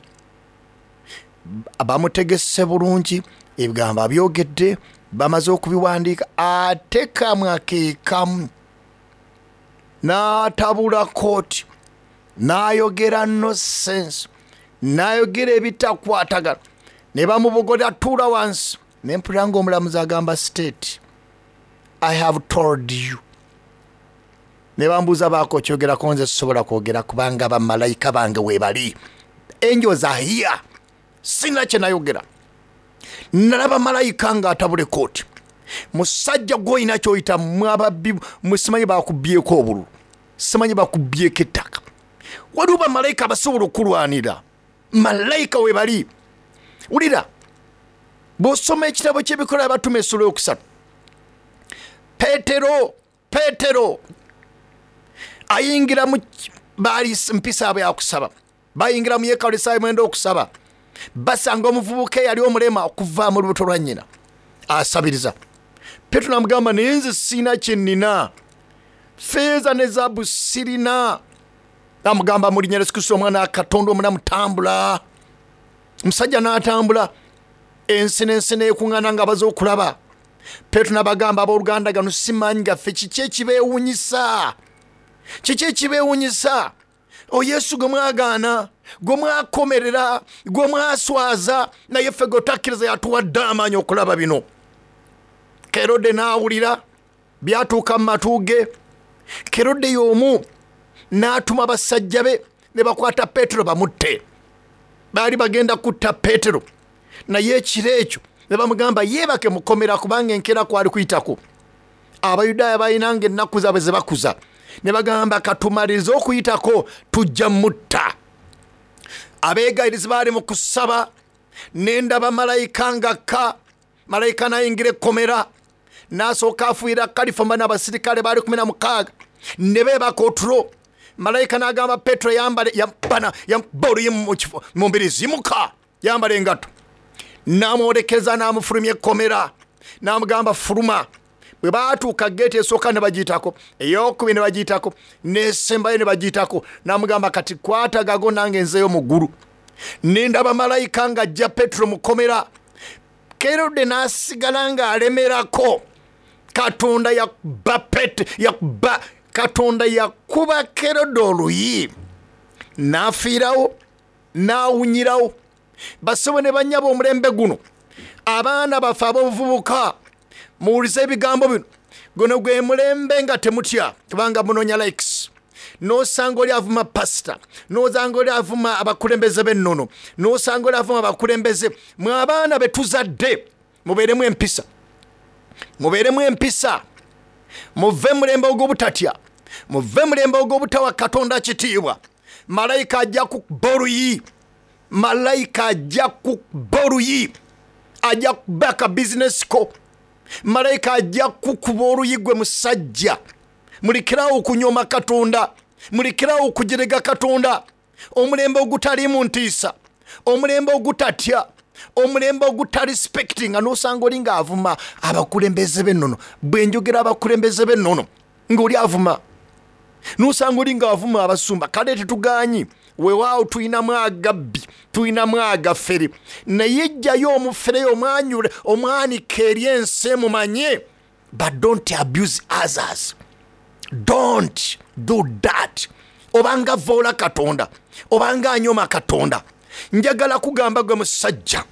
bamutegese bulungi, ebigambo abyogedde, bamaze okubiwandiika, ate kamwa ke kamu. N'atabula kooti, n'ayogera nonsense, n'ayogera ebitakwatagana, ne bamubogolera tuula wansi. Ne mpulira ng'omulamuzi agamba state, I have told you. Ne bambuuza baako okyogerako, nze sisobola kwogera kubanga bamalayika bange weebali. Angels are here. Sina kye nayogera. Nalaba malayika ng'atabula ekooti. Musajja gw'olina ky'oyita mwababbi, musimanyi bakubyeko obululu, simanyi bakubyeko ettaka. Waliwo bamalayika abasobola okulwanira. Malayika we bali. Wulira, bw'osoma ekitabo ky'Ebikolwa Abatume essula yokusatu, Peetero ayingira mu baali mpisa abwe yakusaba, bayingira mu yeekaalu essaawa 9 okusaba, basanga omuvubuka eyali omulema okuva mu lubuto lwa nnyina asabiriza. Peetero n'amugamba, naye nze sirina kye nnina, ffeeza ne zaabu sirina. N'amugamba, mu linnya lya Yesu Kristo omwana wa Katonda omulamu, tambula. Omusajja n'atambula, ensi n'ensi n'ekuŋŋaana nga baze okulaba. Peetero n'abagamba, abooluganda, gano si maanyi gaffe, kiki ekibeewunyisa? Kiki ekibeewunyisa? O Yesu gwe mwagaana, gwe mwakomerera, gwe mwaswaza, naye ffe gwe takkiriza yatuwadde amaanyi okulaba bino. Kerode n'awulira byatuuka mu matu ge. Kerode y'omu n'atuma basajja be ne bakwata Peetero bamutte. Baali bagenda kutta Peetero, naye ekiro ekyo ne bamugamba yeebake mukomera kubanga enkeera kwali kuyitako. Abayudaaya balinanga ennaku zaabwe ze bakuza, ne bagamba katumalirize okuyitako tujja mutta. Abeegayirizi baali mu kusaba, ne ndaba malayika ng'akka. Malayika n'ayingira ekkomera, n'asooka afuuyira kalifoma n'abasirikale baali 16, ne beebaka otulo. Malayika n'agamba Petero, yambale, yambana, yamukuba oluyi mu kifo, mu mbiriizi, yimuka, yambala engatto. N'amwolekeza n'amufulumya ekkomera, n'amugamba fuluma. Bwe baatuuka geeti esooka ne bagiyitako, ey'okubiri ne bagiyitako, n'esembayo ne bagiyitako. N'amugamba kati kwata gago nange nzeeyo mu ggulu. Ne ndaba malayika ng'ajja Petero mu kkomera. Kerode n'asigala ng'alemerako. Katonda yakuba Pet-, yakuba, Katonda yakuba Kerode oluyi, n'afiirawo, n'awunyirawo. Bassebo ne bannyabo omulembe guno, abaana baffe ab'obuvubuka, muwulize ebigambo bino. Guno gwe mulembe nga temutya, kubanga munoonya likes. N'osanga oli avuma pasita, n'osanga oli avuma abakulembeze b'ennono, n'osanga oli avuma abakulembeze. Mwe abaana be tuzadde, mubeeremu empisa, mubeeremu empisa, muve mulembe ogw'obutatya, muve mulembe ogw'obutawa Katonda kitiibwa. Malayika ajja kukuba oluyi, malayika ajja kukuba oluyi, ajja kuba ka bizinesi ko. Malayika ajja kukuba oluyi gwe musajja. Mulekerawo okunyoma Katonda, mulekerawo okujerega Katonda. Omulembe ogutaliimu ntiisa, omulembe ogutatya, omulembe ogutarespektinga. N'osanga oli ng'avuma abakulembeze b'ennono. Bwe njogera abakulembeze b'ennono, ng'oli avuma. N'osanga oli ng'avuma abasumba. Kale tetugaanyi, weewaawo tulinamu agabbi, tulinamu agafere, naye jjayo omufere omwanyule, omwanika eri ensi emumanye. But don't abuse others. Don't do that. Obanga voola Katonda, obanga anyoma Katonda. Njagala kugamba gwe musajja,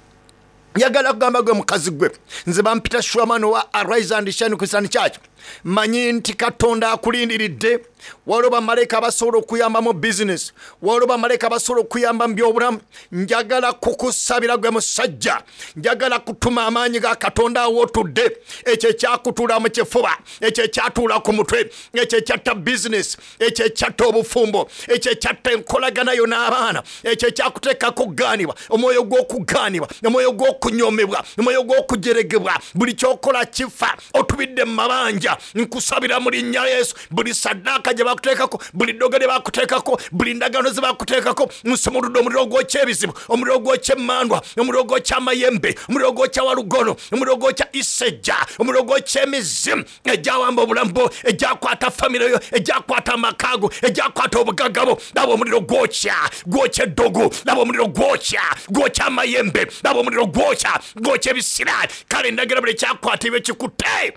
njagala kugamba gwe mukazi gwe. Nze bampita Shwamano wa Arise and Shine Christian Church. Manyi nti Katonda akulindiridde. Waliwo bamalayika abasobola okuyamba mu business, waliwo bamalayika abasobola okuyamba mu byobulamu. Njagala kukusabira gwe musajja, njagala kutuma amaanyi ga Katonda awo otudde. Ekyo ekyakutuula mu kifuba, ekyo ekyatuula ku mutwe, ekyo ekyatta business, ekyo ekyatta obufumbo, ekyo ekyatta enkolagana yo n'abaana, ekyo ekyakuteekako okugaanibwa, omwoyo gw'okugaanibwa, omwoyo gw'okunyoomebwa, omwoyo gw'okujeregebwa, buli ky'okola kifa, otubidde mu mabanja. Nkusabira mu linnya lya Yesu, buli saddaaka gye bakuteekako, buli ddogo lye bakuteekako, buli ndagaano ze bakuteekako, nsumuludde omuliro ogwokya ebizibu, omuliro ogwokya emmandwa, omuliro ogwokya amayembe, omuliro ogwokya walugono, omuliro ogwokya isejja, omuliro ogwokya emizimu egyawamba obulamu bwo, egyakwata famire yo, egyakwata amaka go, egyakwata obugagga bwo. Laba omuliro gwokya, gwokya eddogo, laba omuliro gwokya, gwokya amayembe, laba omuliro gwokya, gwokya ebisiraani. Kale ndagira buli kyakwata ebyo kikutte.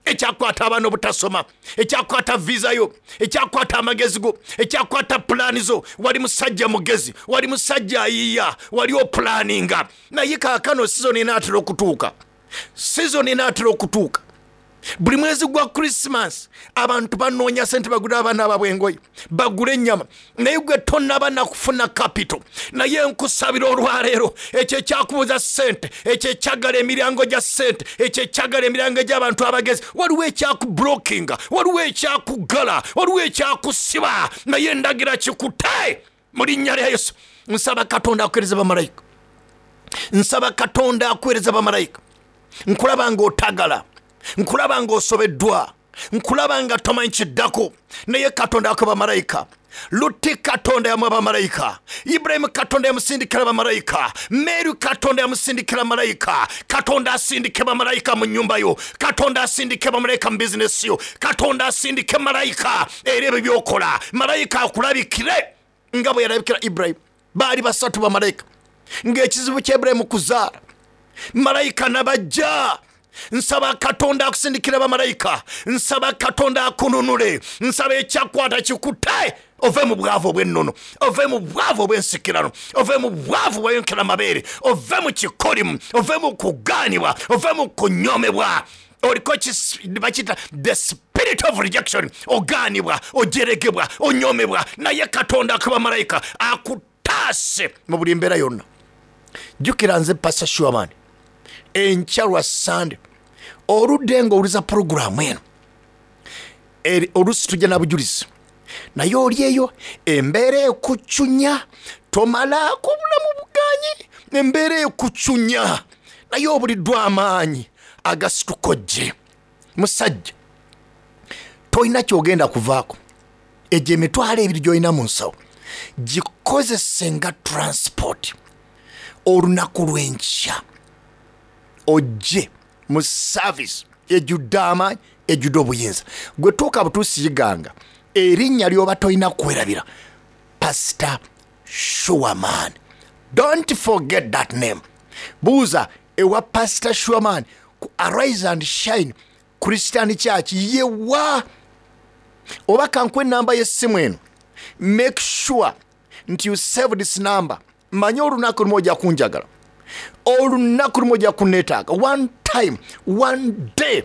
Ekyakwata abaana obutasoma, ekyakwata visa yo, ekyakwata amagezi go, ekyakwata pulaani zo. Wali musajja mugezi, wali musajja ayiiya, wali opulaninga, naye kaakano sizoni enaatera okutuuka. Sizoni enaatera okutuuka. Buli mwezi gwa Christmas abantu banoonya sente bagule abaana baabwe engoye, bagule ennyama, naye gwe tonaba nakufuna capital. Naye nkusabira olwaleero, ekyo ekyakubuza sente, ekyo ekyagala emiryango gya sente, ekyo ekyagala emiryango egy'abantu abagezi, waliwo ekyakublockinga, waliwo ekyakugala, waliwo ekyakusiba, naye ndagira kikute mu linnya lya Yesu. Nsaba Katonda akuweereza bamalayika, nsaba Katonda akuweereza bamalayika. Nkulaba ng'otagala, nkulaba ng'osobeddwa, nkulaba nga tomanyi kiddako, naye Katonda akuwa bamalayika. Luti Katonda yamuwa bamalayika, Ibulayimu Katonda yamusindikira bamalayika, Mary Katonda yamusindikira malayika. Katonda asindike bamalayika mu nnyumba yo, Katonda asindike bamalayika mu bizinesi yo, Katonda asindike malayika era ebyo byokola, malayika akulabikire nga bwe yalabikira Ibulayimu. Baali basatu bamalayika ng'ekizibu kya Ibulayimu kuzaala, malayika nabajja. Nsaba Katonda akusindikira bamalayika, nsaba Katonda akununule, nsaba ekyakwata kikute, ove mu bwavu obw'ennono, ove mu bwavu obw'ensikirano, ove mu bwavu bwayonkera amabeere, ove mu kikolimu, ove mu kugaanibwa, ove mu kunyomebwa. Oliko bakiyita the spirit of rejection, ogaanibwa, ojeregebwa, onyomebwa, naye Katonda akuba malayika akutaase mu buli mbeera yonna. Jjukira nze Pastor Shuaman, enkya lwa Sande oludde ng'owuliza pulogulaamu eno, oluusi tujja na bujulizi, naye oli eyo embeera ekucunya, tomalaako obulamu buganyi, embeera ekucunya, naye obuliddwa amaanyi agasituka ojje. Musajja, tolina kyogenda kuvaako, egyo emitwalo ebiri gy'olina mu nsawo gikozese nga transport olunaku lw'enkya ojje mu service ejjudde amaanyi, ejjudde obuyinza. Gwe tuuka butuusi yiganga erinnya ly'oba tolina kwerabira, Pastor Shuaman. Don't forget that name. Buuza ewa Pastor Shuaman ku Arise and Shine Christian Church yewa, oba kankuwe enamba y'essimu eno. Make sure nti you save this number. Manye olunaku lumu ojja kunjagala, olunaku lumu ojja kunneetaaga. One time, one day,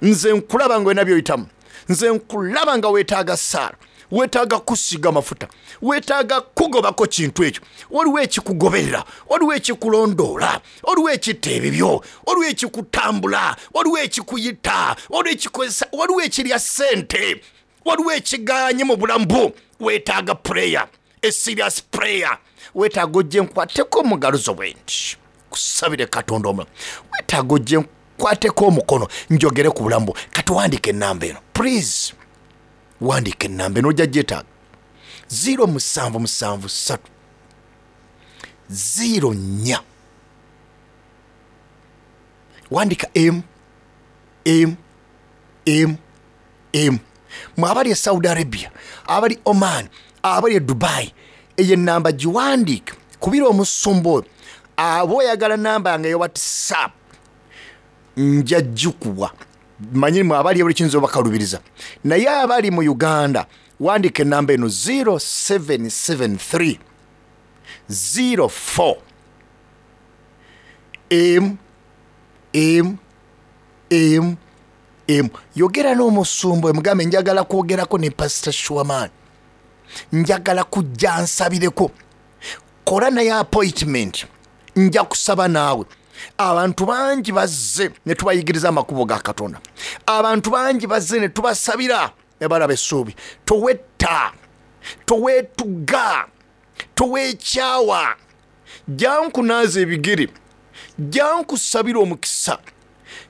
nze nkulaba nga olina by'oyitamu, nze nkulaba nga weetaaga ssaala, weetaaga kusiiga mafuta, weetaaga kugobako kintu ekyo. Waliwo ekikugoberera, waliwo ekikulondoola, waliwo ekitta ebibyo, waliwo ekikutambula, waliwo ekikuyita, waliwo ekikozesa, waliwo ekirya ssente, waliwo ekiganye mu bulamu bwo. Weetaaga prayer, a serious prayer. Weetaaga ojje nkwateko mu ngalo zo bwe nti kusabire Katonda omulamu. Weetaaga ojje nkwateko omukono njogere ku bulamu bwo. Kati wandiika ennamba eno, please, wandiika ennamba eno, ojja gyetaaga. 0 musanvu musanvu ssatu 0 nnya, wandika M M M M. Mwe abali e Saudi Arabia, abali Oman, abali e Dubai, eyo ennamba giwandiike, kubira omusumba oyo. Aba oyagala namba yange eya WhatsApp nja gikuwa. Manyi mwe abali ebuli kiyinza obakalubiriza, naye abali mu Uganda wandiika ennamba eno 0773 04 M M M M. Yogera n'omusumba oyo, mugambe njagala kwogerako ne Pastor Shuaman, njagala kujja nsabireko, kola naye appointment, nja kusaba naawe. Abantu bangi bazze ne tubayigiriza amakubo ga Katonda, abantu bangi bazze ne tubasabira ne balaba essuubi. Towetta, toweetuga, toweekyawa, jankunaaza ebigere, jankusabira omukisa,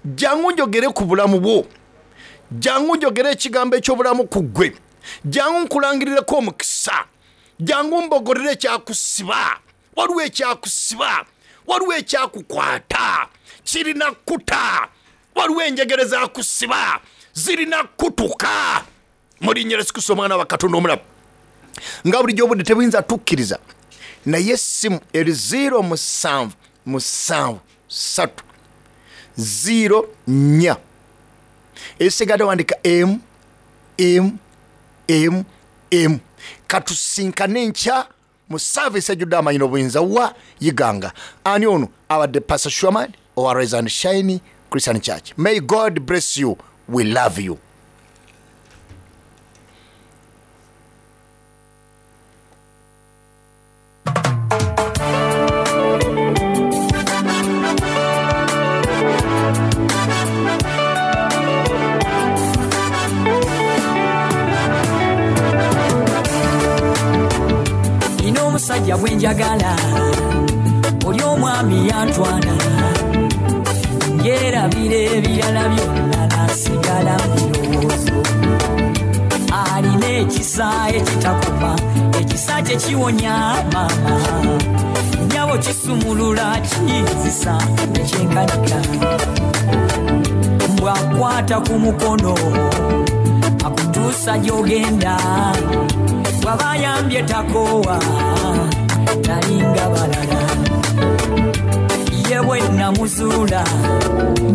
jangu njogere ku bulamu bwo, jangu njogere ekigambo eky'obulamu ku ggwe, jangu nkulangirireko omukisa, jangu mbogolere ekyakusiba. Waliwo ekyakusiba, waliwo ekyakukwata, kirina kuta, waliwo enjegere zakusiba, zirina kutuka mu linnya lya Yesu Kristo omwana wa Katonda omulamu. Nga bulijjo obudde tebuyinza tukkiriza, naye essimu eri 0 musanvu musanvu ssatu 0 nnya Esigadde wandika M M M M. Katusinkane enkya mu service ejjudde amaanyi n'obuyinza wa Iganga. Ani ono abadde Pastor Sherman owa Rise and Shine Christian Church. May God bless you. We love you. Nina omusajja gwe njagala, oli omwami yantwala, njerabira ebirala byonna nasigala mu birowoozo. Alina ekisa ekitakoma, ekisa kye kiwonya maama, nnyabo kisumulula kiyinzisa nekyenkanika. Bw'akwata ku mukono akutuusa gy'ogenda, bw'aba ayambye takoowa, talinga balala. Ye bwe namuzuula.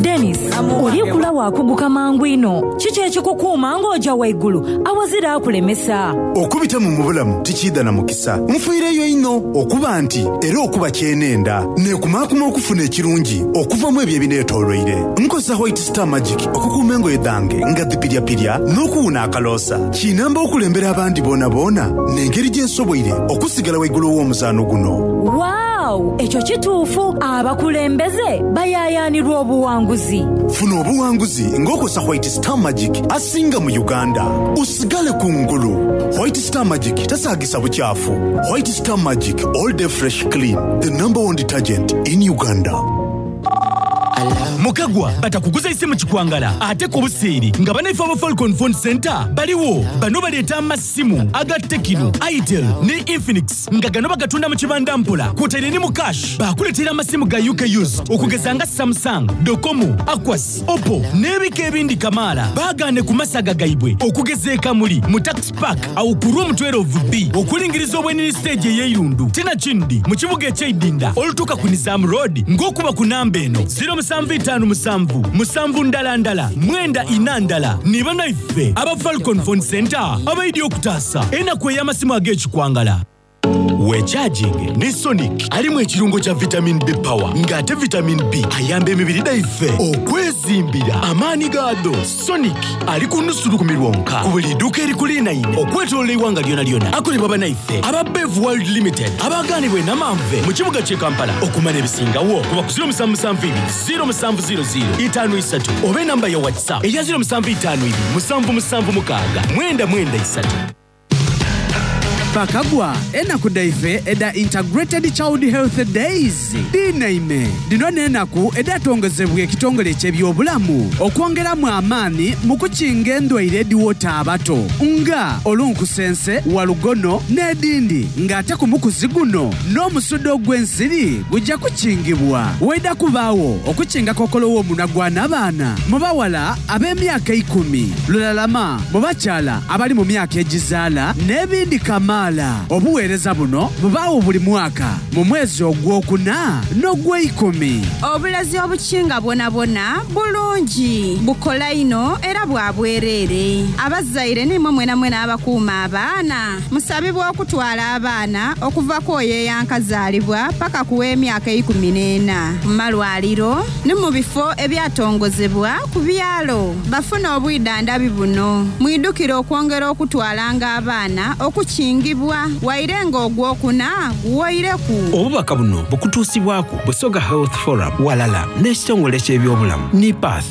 Denis, oli kula wakuguka mangu ino. Kiki ekikukuuma ng'oja waigulu awazira akulemesa? Okubita mu mubulamu tikiidha na mukisa. Nfiireyo inho okuba nti era okuba kyenenda. Neekumaakuma okufuna ekirungi okuva mu ebyo ebineetooloire. Nkozesa White Star Magic okukuuma engoye dhange nga dhipiryapirya n'okuwuna akaloosa. Kinamba okulembera abandi boonaboona n'engeri gye nsoboire okusigala waigulu w'omuzaano guno. Waaw! Ekyo kituufu. Abakulembeze bayaayaanirwa obuwanguzi. Funa obuwanguzi ng'okozesa White Star Magic asinga mu Uganda. Osigale ku ngulu. White Star Magic tasaagisa bukyafu. White Star Magic all day fresh clean, the number one detergent in Uganda. Mukagwa batakuguza isimu kikwangala ate ku buseere nga banaife aba Falcon Phone Center baliwo. Bano baleeta amasimu aga Tecno, Itel ne Infinix nga gano bagatunda mu kibanda mpola kwotaire ni mu cash. Bakuleetera amasimu ga UK used okugeza nga Samsung, Docomo, Aquas, Oppo n'ebika ebindi kamaala. Baagaane ku masaga gaibwe okugeza e Kamuli mu Tax Park awo ku room 12B okulingiriza obwenini stage ey'eirundu tina kindi mu kibuga eky'eidinda olutuuka ku Nizam Road ng'okuba ku namba eno 0757 7 ndala ndala 94 ndala. Ni banaife aba Falcon Phone Center abaidi okutaasa enaku ey'amasimu ag'ekikwangala. Wecharging ne Sonic alimu ekirungo kya vitamin B power ng'ate vitamin B ayamba emibiri dhaife okwezimbira amaanyi gaadho. Sonic ali ku nusu lukumi lwonka ku buli dduuka erikulinaine okwetoloola eiwanga lyona lyona. Akolebwa banaife aba Bev World Limited abagaanibwa e Namanve mu kibuga ky'e Kampala. Okumanya ebisingawo kuba ku 0772 0700 53 oba enamba ya WhatsApp eya 0752 776 993. Bakagwa enaku dhaife edha Integrated Child Health Days dhinaime. Dhino n'enaku edhatongozebwa ekitongole eky'ebyobulamu okwongeramu amaani mu kukinga endwaire edhiwota abato nga olunkusense, walugono n'edhindi ng'ate ku mukuzi guno n'omusuda ogw'ensiri guja kukingibwa. Waidha kubaagho okukinga kokolo w'omunwa gwa nabaana mu bawala ab'emyaka eikumi, lulalama mu bakyala abali mu myaka egizaala n'ebindi kamaala. Obuweereza buno bubaagho buli mwaka mu mwezi ogwokuna n'ogweikumi. Obulazi obukinga bwonabwona bulungi, bukola inho era bwa bwereere. Abazaire n'imwe mwenamwena abakuuma abaana, musabibwa okutwala abaana okuva ku oyo eyankazaalibwa paka ku w'emyaka 14 mu malwaliro ni mu bifo ebyatongozebwa ku byalo bafune obwidhandhabi buno. Mwidhukire okwongera okutwalanga abaana okukingibwa waire nga ogwokuna guwoireku. Obubaka buno bukutuusibwaku Busoga Health Forum walala n'ekitongole ky'ebyobulamu NIPATH.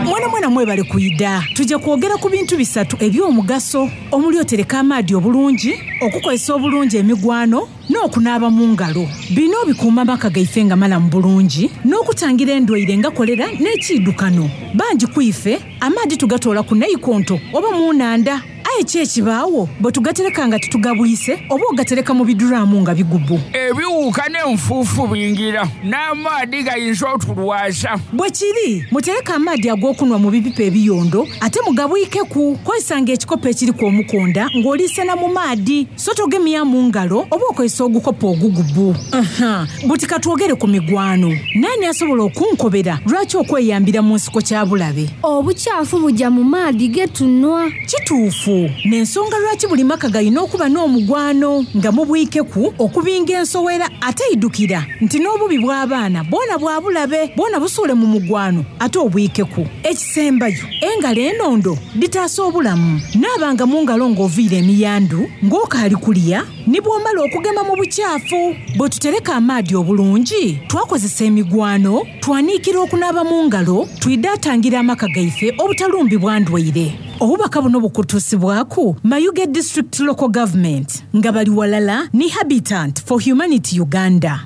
Mwana mwana mwebale kwidha. Tuje kwogera ku bintu bisatu eby'omugaso omuli otereka amaadhi obulungi, okukozesa obulungi emigwano n'okunaaba mu ngalo. Bino bikuuma amaka gaife nga malamu bulungi n'okutangira endwaire nga kolera n'ekiidukano. Bangi ku ife amaadhi tugatoola ku naikonto oba mu nhandha. Aye ki ekibaawo bwe tugatereka nga titugabwise oba ogatereka mu biduraamu nga bigubu? Ebiwuka n'enfuufu bingira, n'amaadhi gayinza otulwaza. Bwe kiri, mutereke amaadhi ag'okunwa mu bipipa ebiyondo ate mugabwikeku. Kozesanga ekikopo ekiriku omukonda ng'oliisena mu maadhi, so togemya mu ngalo oba okozesa ogukopo ogugubu. Aha, buti katwogere ku migwano. Naani asobola okunkobera lwaki okweyambira mu nsiko kya bulabe? Obukyafu buja mu maadhi ge tunwa. Kituufu. N'ensonga lwaki buli maka galina okuba n'omugwano nga mubwikeku okubinga ensowera ate idukira nti n'obubi bw'abaana bwona bwa bulabe bwona busuule mu mugwano ate obwikeku. Ekisembayo, engalo enondo dhitaasa obulamu. Naabanga mu ngalo ng'oviire emiyandu, ng'okaali kulya, ni bw'omala okugema mu bukyafu. Bwe tutereka amaadhi obulungi, twakozesa emigwano, twaniikira okunaaba mu ngalo, twidha atangira amaka gaife obutalumbibwa ndwaire. Obubaka buno bukutuusibwaku Mayuge District Local Government nga bali walala ni Habitant for Humanity Uganda.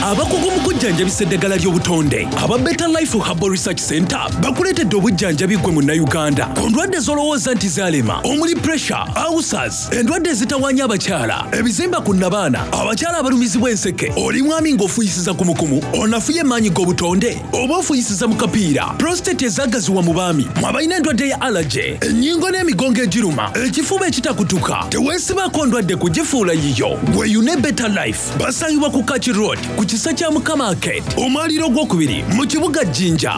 Abakugu mu kujjanjabisa eddagala ly'obutonde aba Better Life Herbal Research Center bakuleetedde obujjanjabi ggwe Munnayuganda ku ndwadde z'olowooza nti zaalema omuli pressure, ulcers, endwadde ezitawaanya abakyala, ebizimba ku nnabaana, abakyala abalumizibwa enseke, oli mwami ng'ofuuyisiza kumukumu, onafuye maanyi g'obutonde oba ofuuyisiza mu kapiira, prostate ezaagaziwa mu baami, mwe abalina endwadde ya allergy, ennyingo n'emigongo egiruma, ekifuba ekitakutuka, teweesibaako ndwadde kugifuula yiyo. Weeyune Better Life basangibwa ku Kaki Road ku kisa kya Mukama Arcade, omwaliiro ogwokubiri mu kibuga Jinja.